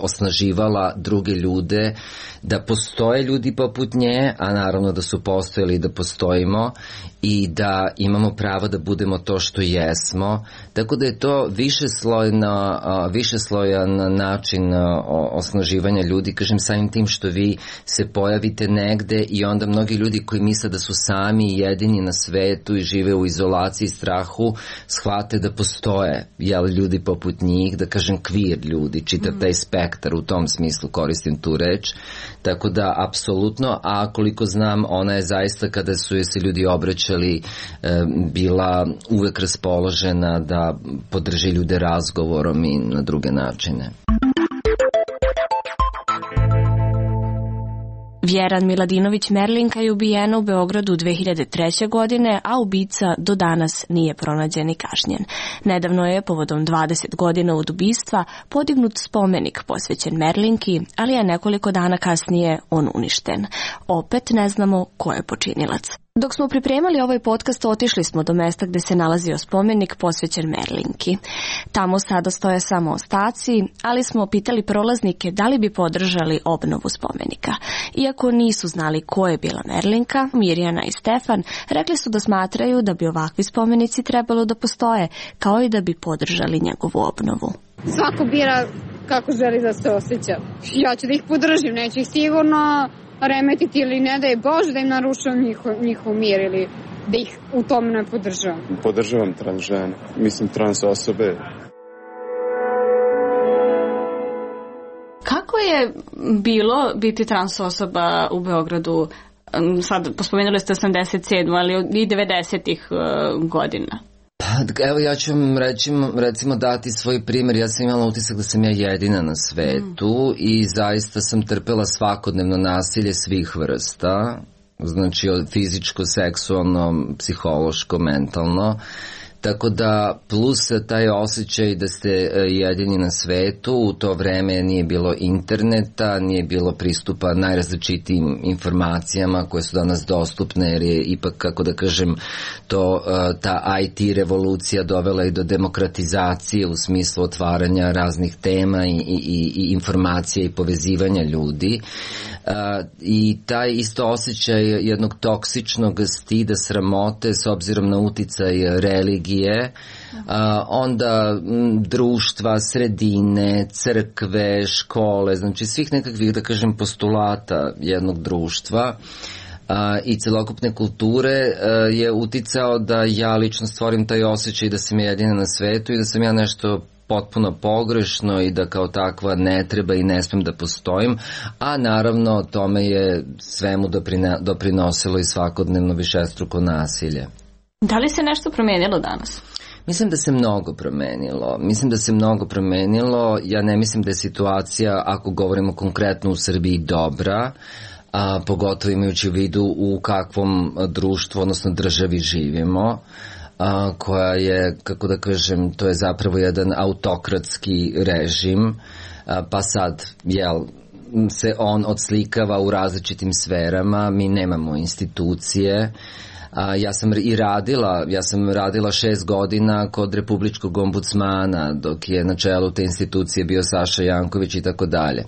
G: osnaživala druge ljude, da postoje ljudi poput nje, a naravno da su postojali i da postojimo, i da imamo pravo da budemo to što jesmo. Tako da je to višeslojan način osnaživanja ljudi, kažem, samim tim što vi se pojavite negde i onda mnogi ljudi koji misle da su sami i jedini na svetu i žive u izolaciji i strahu, shvate da postoje ljudi poput njih, da kažem queer ljudi, čitav taj spektar, u tom smislu koristim tu reč. Tako da, apsolutno, a koliko znam, ona je zaista, kada su joj se ljudi obraćali, bila uvek raspoložena da podrži ljude razgovorom i na druge načine.
F: Vjeran Miladinović Merlinka je ubijena u Beogradu 2003. godine, a ubica do danas nije pronađen i kažnjen. Nedavno je, povodom 20 godina od ubistva, podignut spomenik posvećen Merlinki, ali je nekoliko dana kasnije on uništen. Opet ne znamo ko je počinilac. Dok smo pripremali ovaj podcast, otišli smo do mesta gde se nalazio spomenik posvećen Merlinki. Tamo sada stoje samo ostaci, ali smo pitali prolaznike da li bi podržali obnovu spomenika. Iako nisu znali ko je bila Merlinka, Mirjana i Stefan rekli su da smatraju da bi ovakvi spomenici trebalo da postoje, kao i da bi podržali njegovu obnovu.
I: Svako bira kako želi da se osjeća. Ja ću da ih podržim, neću ih sigurno remetiti ili ne da je Bože da im narušavam njihov mir ili da ih u tome ne podržavam.
J: Podržavam trans žene, mislim trans osobe.
F: Kako je bilo biti trans osoba u Beogradu? Sad, pospomenuli ste 87. ali i 90-ih godina.
G: Evo ja ću vam recimo dati svoj primjer. Ja sam imala utisak da sam ja jedina na svetu i zaista sam trpela svakodnevno nasilje svih vrsta, znači od fizičko, seksualno, psihološko, mentalno. Tako da plus taj osjećaj da ste jedini na svetu, u to vreme nije bilo interneta, nije bilo pristupa najrazličitijim informacijama koje su danas dostupne, jer je ipak, kako da kažem, ta IT revolucija dovela i do demokratizacije u smislu otvaranja raznih tema i informacija i povezivanja ljudi. I taj isto osjećaj jednog toksičnog stida, sramote s obzirom na uticaj religije, onda društva, sredine, crkve, škole, znači svih nekakvih, da kažem, postulata jednog društva i celokupne kulture je uticao da ja lično stvorim taj osjećaj da sam jedina na svetu i da sam ja nešto potpuno pogrešno i da kao takva ne treba i ne smem da postojim, a naravno tome je svemu doprinosilo i svakodnevno višestruko nasilje.
F: Da li se nešto promenilo danas?
G: Mislim da se mnogo promenilo. Ja ne mislim da je situacija, ako govorimo konkretno u Srbiji, dobra, pogotovo imajući u vidu u kakvom društvu, odnosno državi živimo, koja je, kako da kažem, to je zapravo jedan autokratski režim, pa sad, se on odslikava u različitim sferama, mi nemamo institucije. Ja sam radila 6 godina kod Republičkog ombudsmana, dok je na čelu te institucije bio Saša Janković i tako dalje.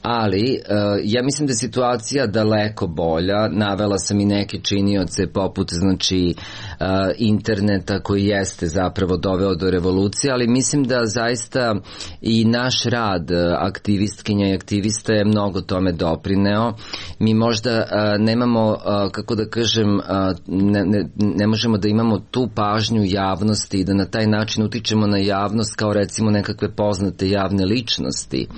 G: Ali ja mislim da je situacija daleko bolja. Navela sam i neke činioce poput, znači, interneta koji jeste zapravo doveo do revolucije, ali mislim da zaista i naš rad aktivistkinja i aktivista je mnogo tome doprineo. Mi možda nemamo, kako da kažem, ne možemo da imamo tu pažnju javnosti i da na taj način utičemo na javnost kao recimo nekakve poznate javne ličnosti,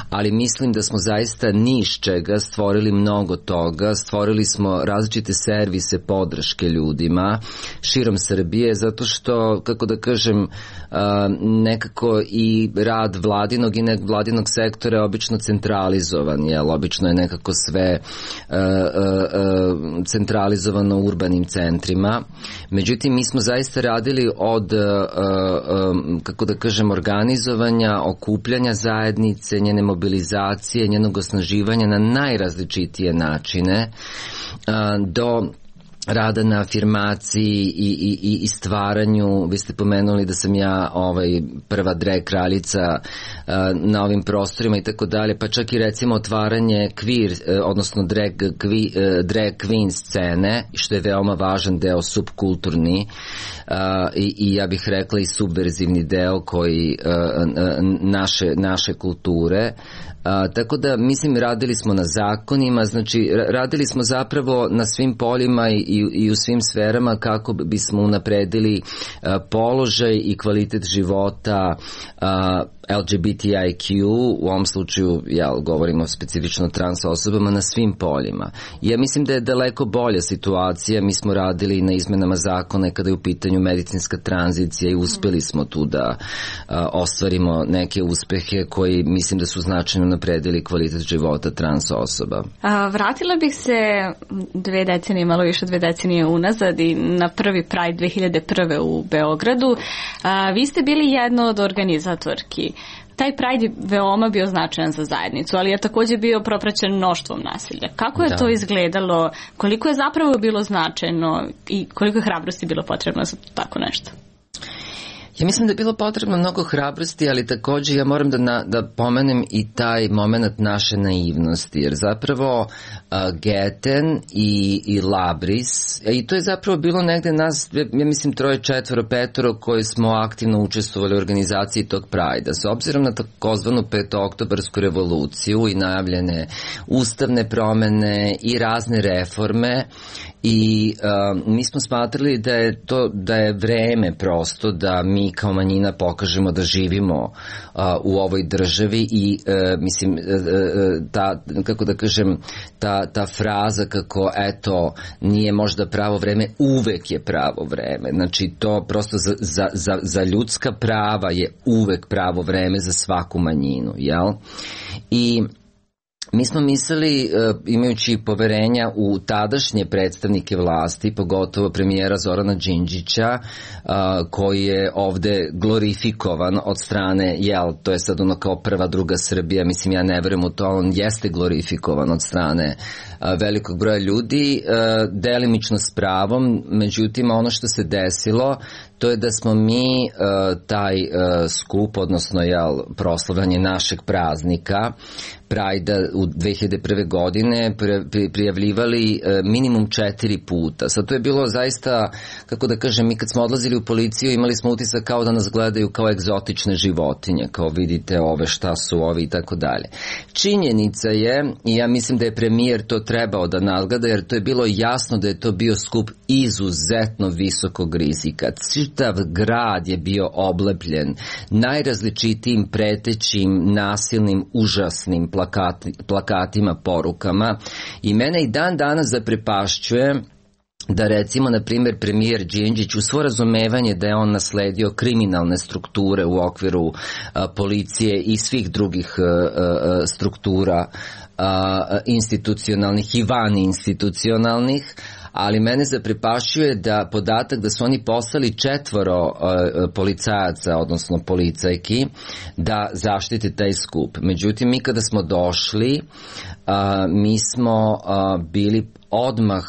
G: ali mislim da smo zaista ni iz čega stvorili mnogo toga. Stvorili smo različite servise podrške ljudima širom Srbije, zato što, kako da kažem, nekako i rad vladinog i nevladinog sektora je obično centralizovan, obično je nekako sve centralizovano u urbanim centrima. Međutim, mi smo zaista radili od, kako da kažem, organizovanja, okupljanja zajednice, njene mobilizacije, njenog osnaživanja na najrazličitije načine, do rada na afirmaciji i stvaranju. Vi ste pomenuli da sam ja prva drag kraljica na ovim prostorima i tako dalje, pa čak i recimo otvaranje queer, odnosno drag queen scene, što je veoma važan deo, subkulturni i ja bih rekla i subverzivni deo koji naše kulture. Tako da, mislim, radili smo na zakonima, znači radili smo zapravo na svim poljima i u svim sferama kako bismo unapredili položaj i kvalitet života LGBTIQ, u ovom slučaju govorimo specifično trans osobama na svim poljima. Ja mislim da je daleko bolja situacija, mi smo radili na izmenama zakona kada je u pitanju medicinska tranzicija i uspeli smo tu da ostvarimo neke uspehe koji mislim da su značajno napredili kvalitet života trans osoba.
F: Vratila bih se 2 decenije, malo više 2 decenije unazad i na prvi Pride 2001. u Beogradu. Vi ste bili jedna od organizatorki. Taj Pride je veoma bio značajan za zajednicu, ali je također bio propraćen mnoštvom nasilja. Kako je to izgledalo? Koliko je zapravo bilo značajno i koliko je hrabrosti bilo potrebno za tako nešto?
G: Ja mislim da je bilo potrebno mnogo hrabrosti, ali također ja moram da pomenem i taj moment naše naivnosti, jer zapravo Geten i Labris, i to je zapravo bilo negde nas, ja mislim 3, 4, 5 koji smo aktivno učestvovali u organizaciji tog Prajda. S obzirom na takozvanu 5-oktobarsku revoluciju i najavljene ustavne promene i razne reforme, i mi smo smatrali da je vreme prosto da mi kao manjina pokažemo da živimo u ovoj državi i mislim ta fraza kako eto nije možda pravo vreme, uvek je pravo vreme. Znači to prosto za ljudska prava je uvek pravo vreme za svaku manjinu, jel? I mi smo mislili, imajući poverenja u tadašnje predstavnike vlasti, pogotovo premijera Zorana Đinđića, koji je ovde glorifikovan od strane, to je sad ono kao prva, druga Srbija, mislim ja ne verujem u to, on jeste glorifikovan od strane velikog broja ljudi, delimično s pravom, međutim ono što se desilo, to je da smo mi taj skup, odnosno proslavljanje našeg praznika Prajda u 2001. godine prijavljivali minimum 4 puta. Sad to je bilo zaista, kako da kažem, mi kad smo odlazili u policiju imali smo utisak kao da nas gledaju kao egzotične životinje, kao vidite ove šta su ovi i tako dalje. Činjenica je, i ja mislim da je premijer to trebao da nadgleda, jer to je bilo jasno da je to bio skup izuzetno visokog rizika. Čitav grad je bio oblepljen najrazličitijim pretećim, nasilnim, užasnim plakatima, porukama, i mene i dan danas zaprepašćuje da recimo, na primjer, premijer Đinđić u svo razumevanje da je on nasledio kriminalne strukture u okviru policije i svih drugih struktura institucionalnih i vaninstitucionalnih, ali mene zaprepašćuje da podatak da su oni poslali 4 policajaca, odnosno policajki, da zaštite taj skup. Međutim, mi kada smo došli, mi smo bili odmah,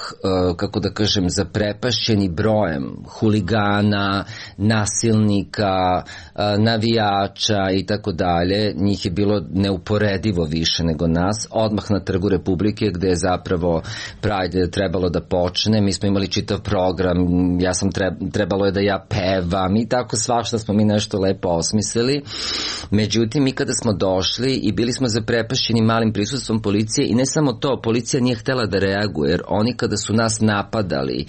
G: kako da kažem, zaprepašćeni brojem huligana, nasilnika, navijača i tako dalje. Njih je bilo neuporedivo više nego nas. Odmah na Trgu Republike, gde je zapravo Pride trebalo da počne. Mi smo imali čitav program, trebalo je da ja pevam i tako svašta smo mi nešto lepo osmislili. Međutim, mi kada smo došli i bili smo zaprepašćeni malim prisustvom policije, i ne samo to, policija nije htela da reaguje, jer oni kada su nas napadali,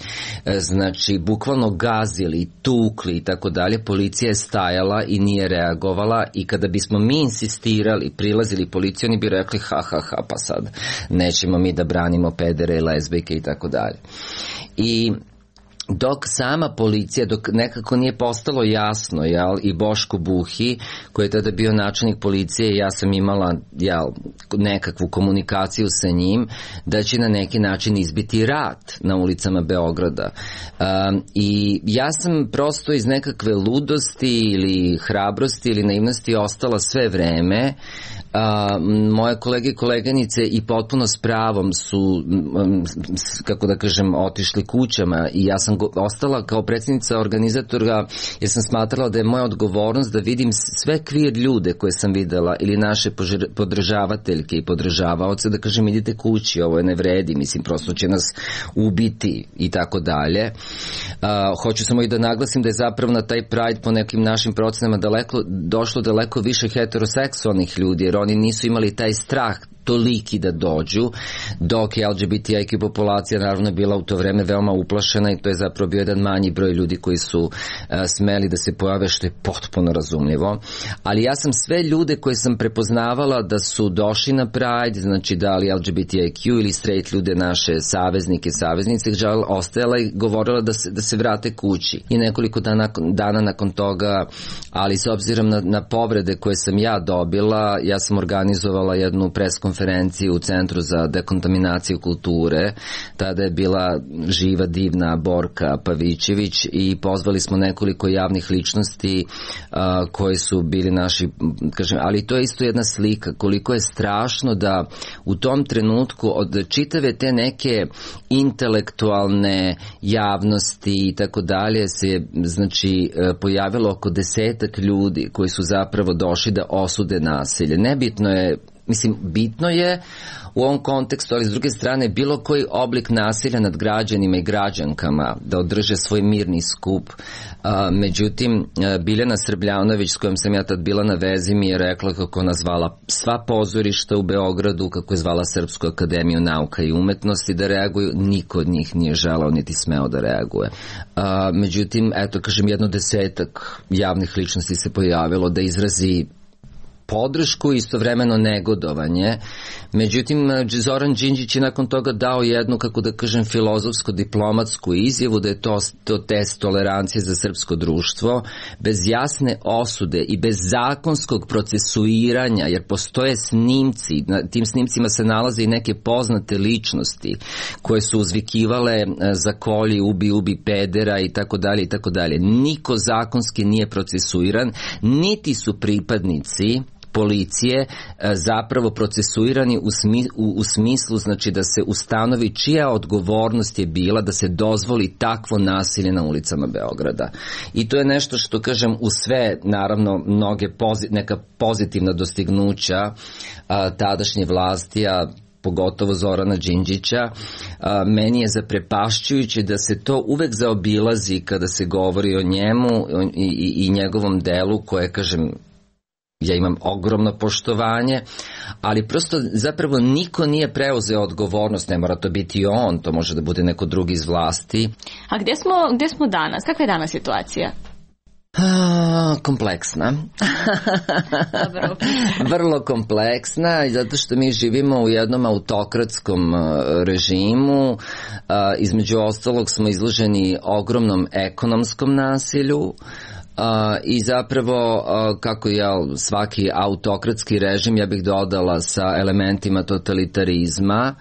G: znači bukvalno gazili, tukli i tako dalje, policija je stajala i nije reagovala, i kada bismo mi insistirali, prilazili policiju, oni bi rekli ha, pa sad nećemo mi da branimo pedere i lezbijke i tako dalje. I dok sama policija, dok nekako nije postalo jasno, i Boško Buhi, koji je tada bio načelnik policije, ja sam imala nekakvu komunikaciju sa njim, da će na neki način izbiti rat na ulicama Beograda. I ja sam prosto iz nekakve ludosti ili hrabrosti ili naivnosti ostala sve vreme. Moje kolege i koleganice i potpuno s pravom su, kako da kažem, otišli kućama, i ja sam ostala kao predsjednica organizatora, jer sam smatrala da je moja odgovornost da vidim sve queer ljude koje sam videla ili naše podržavateljke i podržavaoce, da kažem idite kući, ovo je ne vredi, mislim prosto će nas ubiti i tako dalje. Hoću samo i da naglasim da je zapravo na taj Pride po nekim našim procenama došlo daleko više heteroseksualnih ljudi, jer oni nisu imali taj strah toliki da dođu, dok je LGBTIQ populacija naravno bila u to vreme veoma uplašena i to je zapravo bio jedan manji broj ljudi koji su smeli da se pojave, što je potpuno razumljivo. Ali ja sam sve ljude koje sam prepoznavala da su došli na Pride, znači da li LGBTIQ ili straight ljude, naše saveznike, saveznice, ostajala i govorila da se vrate kući. I nekoliko dana nakon toga, ali s obzirom na povrede koje sam ja dobila, ja sam organizovala jednu preskonferenciju u Centru za dekontaminaciju kulture. Tada je bila živa, divna Borka Pavićević i pozvali smo nekoliko javnih ličnosti koji su bili naši, kažem, ali to je isto jedna slika koliko je strašno da u tom trenutku od čitave te neke intelektualne javnosti i tako dalje se znači pojavilo oko 10 ljudi koji su zapravo došli da osude nasilje. Nebitno je, mislim, bitno je u ovom kontekstu, ali s druge strane bilo koji oblik nasilja nad građanima i građankama da održe svoj mirni skup. Međutim, Biljana Srbljanović, s kojom sam ja tad bila na vezi, mi je rekla kako ona zvala sva pozorišta u Beogradu, kako je zvala Srpsku akademiju nauka i umetnosti da reaguju. Niko od njih nije želao niti smeo da reaguje. Međutim, eto, kažem, 10 javnih ličnosti se pojavilo da izrazi podršku i istovremeno negodovanje. Međutim, Zoran Đinđić je nakon toga dao jednu, kako da kažem, filozofsko-diplomatsku izjavu da je to test tolerancije za srpsko društvo, bez jasne osude i bez zakonskog procesuiranja, jer postoje snimci, na tim snimcima se nalaze i neke poznate ličnosti koje su uzvikivale za kolji, ubi pedera i tako dalje i tako dalje. Niko zakonski nije procesuiran, niti su pripadnici policije zapravo procesuirani u smislu, znači da se ustanovi čija odgovornost je bila da se dozvoli takvo nasilje na ulicama Beograda. I to je nešto što, kažem, u sve, naravno, neka pozitivna dostignuća tadašnje vlasti, a pogotovo Zorana Đinđića, meni je zaprepašćujuće da se to uvek zaobilazi kada se govori o njemu i njegovom delu koje, kažem, ja imam ogromno poštovanje, ali prosto zapravo niko nije preuzeo odgovornost, ne mora to biti on, to može da bude neko drugi iz vlasti.
F: A gde smo danas? Kakva je danas situacija?
G: Kompleksna. Vrlo kompleksna, zato što mi živimo u jednom autokratskom režimu. Između ostalog smo izloženi ogromnom ekonomskom nasilju. I zapravo kako je svaki autokratski režim, ja bih dodala sa elementima totalitarizma,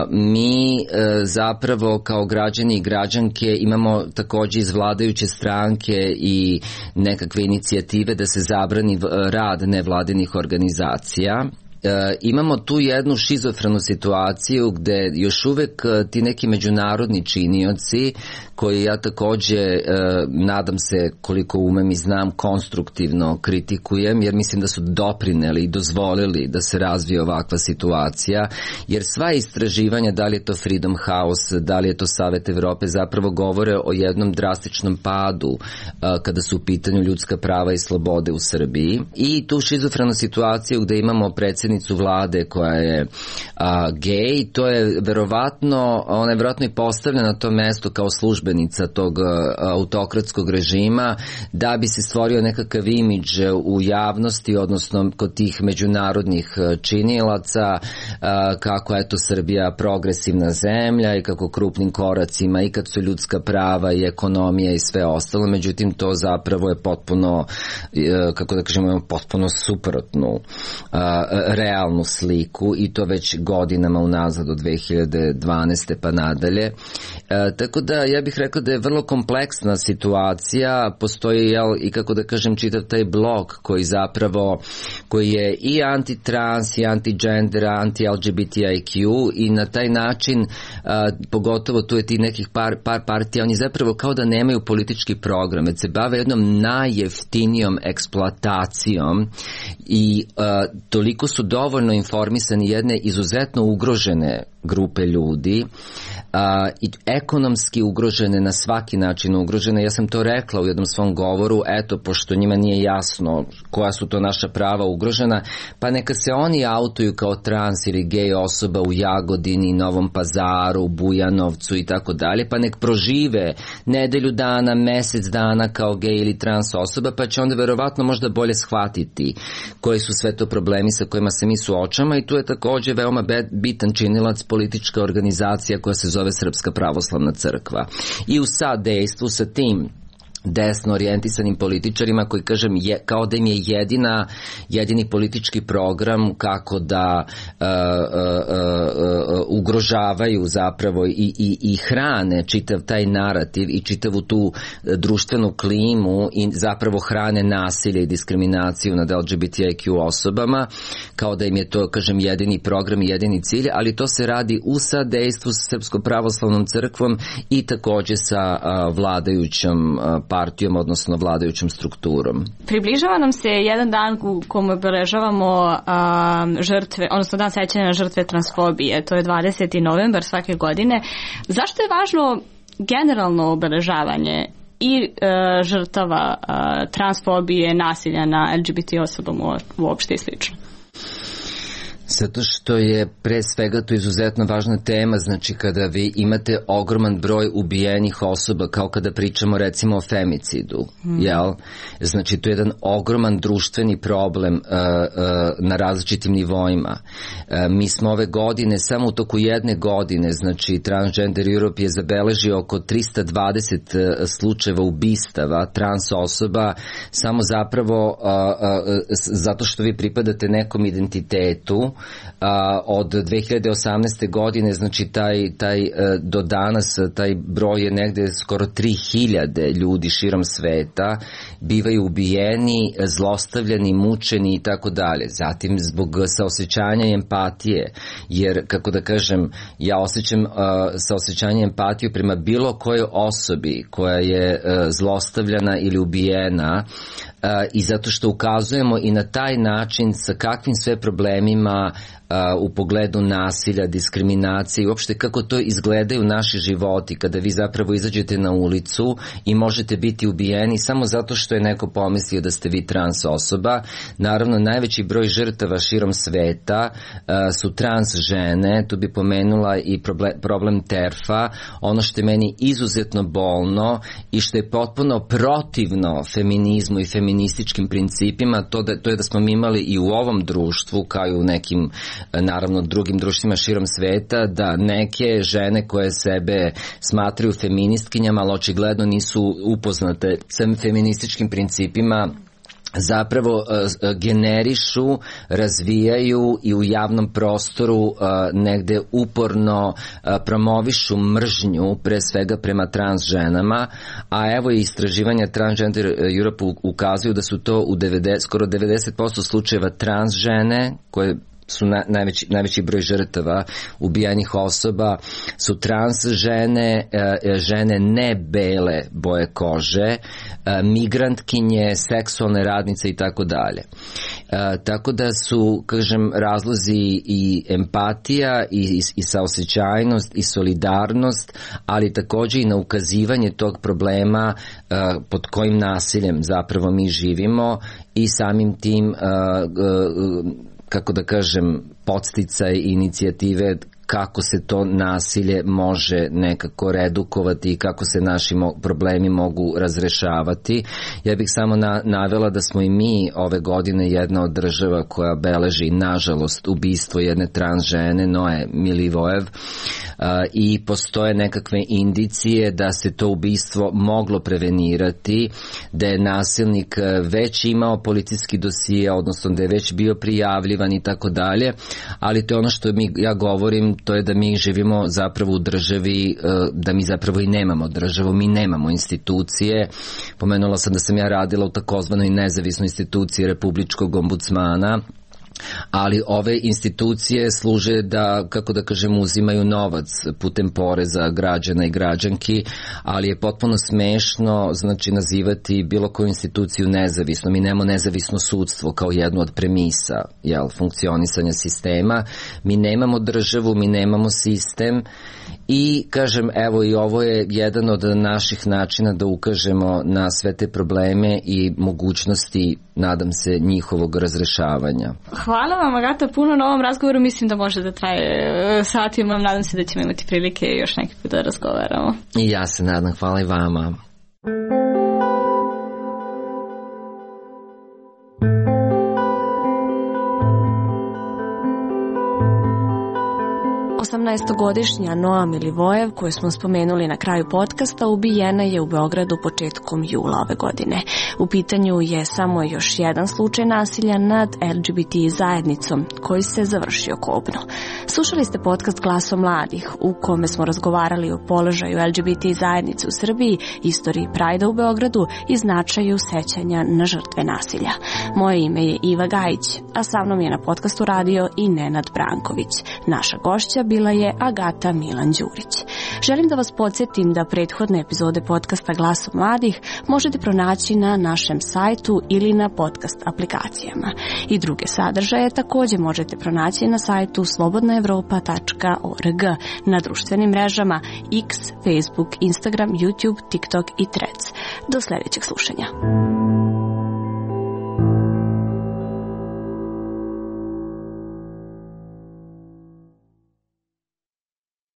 G: mi zapravo kao građani i građanke imamo takođe iz vladajuće stranke i nekakve inicijative da se zabrani rad nevladinih organizacija. Imamo tu jednu šizofrenu situaciju gde još uvek ti neki međunarodni činioci, koji ja takođe nadam se koliko umem i znam konstruktivno kritikujem, jer mislim da su doprineli i dozvolili da se razvije ovakva situacija, jer sva istraživanja, da li je to Freedom House, da li je to Savet Evrope, zapravo govore o jednom drastičnom padu kada su u pitanju ljudska prava i slobode u Srbiji. I tu šizofrenu situaciju gde imamo predsjednicu vlade koja je gej, to je verovatno, ona je verovatno i postavljena na to mesto kao službenica tog autokratskog režima da bi se stvorio nekakav imidž u javnosti, odnosno kod tih međunarodnih činilaca, kako je to Srbija progresivna zemlja i kako krupnim koracima i kad su ljudska prava i ekonomija i sve ostalo. Međutim, to zapravo je potpuno, kako da kažemo, potpuno suprotnu realnu sliku i to već godinama unazad od 2012. pa nadalje. Tako da ja bih rekao da je vrlo kompleksna situacija, postoji i kako da kažem čitav taj blok koji je i anti-trans i anti-gender, anti-LGBTIQ i na taj način, pogotovo tu je ti nekih par partija, oni zapravo kao da nemaju politički program, već se bave jednom najjeftinijom eksploatacijom i toliko su dovoljno informisani jedne izuzetno ugrožene grupe ljudi, i ekonomski ugrožene, na svaki način ugrožene. Ja sam to rekla u jednom svom govoru, eto, pošto njima nije jasno koja su to naša prava ugrožena, pa neka se oni autuju kao trans ili gej osoba u Jagodini, Novom Pazaru, Bujanovcu i tako dalje, pa nek prožive nedelju dana, mesec dana kao gej ili trans osoba, pa će onda verovatno možda bolje shvatiti koji su sve to problemi sa kojima se mi suočamo. I tu je takođe veoma bitan činilac politička organizacija koja se zove Srpska pravoslavna crkva. I u sadejstvu sa tim desno orijentisanim političarima koji, kažem, kao da im je jedini politički program kako da ugrožavaju zapravo i hrane čitav taj narativ i čitavu tu društvenu klimu i zapravo hrane nasilje i diskriminaciju nad LGBTIQ osobama, kao da im je to, kažem, jedini program i jedini cilj, ali to se radi u sadejstvu sa Srpskom pravoslavnom crkvom i takođe sa vladajućom partijom, odnosno vladajućom strukturom.
F: Približava nam se jedan dan u kome obeležavamo žrtve, odnosno dan sećanja na žrtve transfobije. To je 20. novembar svake godine. Zašto je važno generalno obeležavanje i žrtava transfobije, nasilja na LGBT osobama uopšte i slično?
G: Zato što je pre svega to izuzetno važna tema, znači kada vi imate ogroman broj ubijenih osoba, kao kada pričamo recimo o femicidu, jel? Znači to je jedan ogroman društveni problem na različitim nivoima. Mi smo ove godine, samo u toku jedne godine, znači Transgender Europe je zabeležio oko 320 slučajeva ubistava trans osoba, samo zapravo zato što vi pripadate nekom identitetu. Od 2018. godine, znači taj do danas taj broj je negde skoro 3000 ljudi širom sveta bivaju ubijeni, zlostavljani, mučeni i tako dalje. Zatim zbog saosećanja i empatije, jer kako da kažem, ja osjećam saosećanje i empatiju prema bilo kojoj osobi koja je zlostavljana ili ubijena, i zato što ukazujemo i na taj način sa kakvim sve problemima u pogledu nasilja, diskriminacije i uopšte kako to izgledaju naši životi kada vi zapravo izađete na ulicu i možete biti ubijeni samo zato što je neko pomislio da ste vi trans osoba. Naravno, najveći broj žrtava širom sveta su trans žene, tu bi pomenula i problem TERF-a, ono što je meni izuzetno bolno i što je potpuno protivno feminizmu i feminističkim principima, to je da smo mi imali i u ovom društvu, kao i u nekim naravno drugim društvima širom sveta, da neke žene koje sebe smatraju feministkinjama, ali očigledno nisu upoznate sa feminističkim principima, zapravo generišu, razvijaju i u javnom prostoru negde uporno promovišu mržnju, pre svega prema trans ženama, a evo i istraživanja Transgender Europe ukazuju da su to u skoro 90% slučajeva trans žene koje su najveći broj žrtava ubijanih osoba su trans žene, žene ne bele boje kože, migrantkinje, seksualne radnice i tako dalje. Tako da su, kažem, razlozi i empatija i saosećajnost i solidarnost, ali takođe i na ukazivanje tog problema pod kojim nasiljem zapravo mi živimo i samim tim kako da kažem, podsticaj inicijative kako se to nasilje može nekako redukovati i kako se naši problemi mogu razrešavati. Ja bih samo navela da smo i mi ove godine jedna od država koja beleži, nažalost, ubistvo jedne trans žene, Noe Milivojev, i postoje nekakve indicije da se to ubistvo moglo prevenirati, da je nasilnik već imao policijski dosije, odnosno da je već bio prijavljivan i tako dalje, ali to je ono što ja govorim, to je da mi živimo zapravo u državi, da mi zapravo i nemamo državu, mi nemamo institucije. Pomenula sam da sam ja radila u takozvanoj nezavisnoj instituciji Republičkog ombudsmana, ali ove institucije služe da, kako da kažem, uzimaju novac putem poreza građana i građanki, ali je potpuno smešno, znači, nazivati bilo koju instituciju nezavisno. Mi nemamo nezavisno sudstvo kao jednu od premisa, funkcionisanja sistema. Mi nemamo državu, mi nemamo sistem i, kažem, evo, i ovo je jedan od naših načina da ukažemo na sve te probleme i mogućnosti, nadam se, njihovog razrešavanja.
F: Hvala vam, Agata, puno na ovom razgovoru. Mislim da može da traje satima. Nadam se da ćemo imati prilike još neki put da razgovaramo.
G: I ja se nadam. Hvala i vama.
F: 18-godišnja Noa Milivojev, koju smo spomenuli na kraju podcasta, ubijena je u Beogradu početkom jula ove godine. U pitanju je samo još jedan slučaj nasilja nad LGBT zajednicom koji se završio kobno. Slušali ste podcast Glaso mladih, u kome smo razgovarali o položaju LGBT zajednice u Srbiji, istoriji Prajda u Beogradu i značaju sećanja na žrtve nasilja. Moje ime je Iva Gajić, a sa mnom je na podcastu radio i Nenad Branković. Naša gošća bila je Agata Milan Đurić. Želim da vas podsjetim da prethodne epizode podcasta Glaso mladih možete pronaći na našem sajtu ili na podcast aplikacijama. I druge sadržaje također možete pronaći na sajtu slobodnaevropa.org, na društvenim mrežama X, Facebook, Instagram, YouTube, TikTok i Threads. Do sljedećeg slušanja.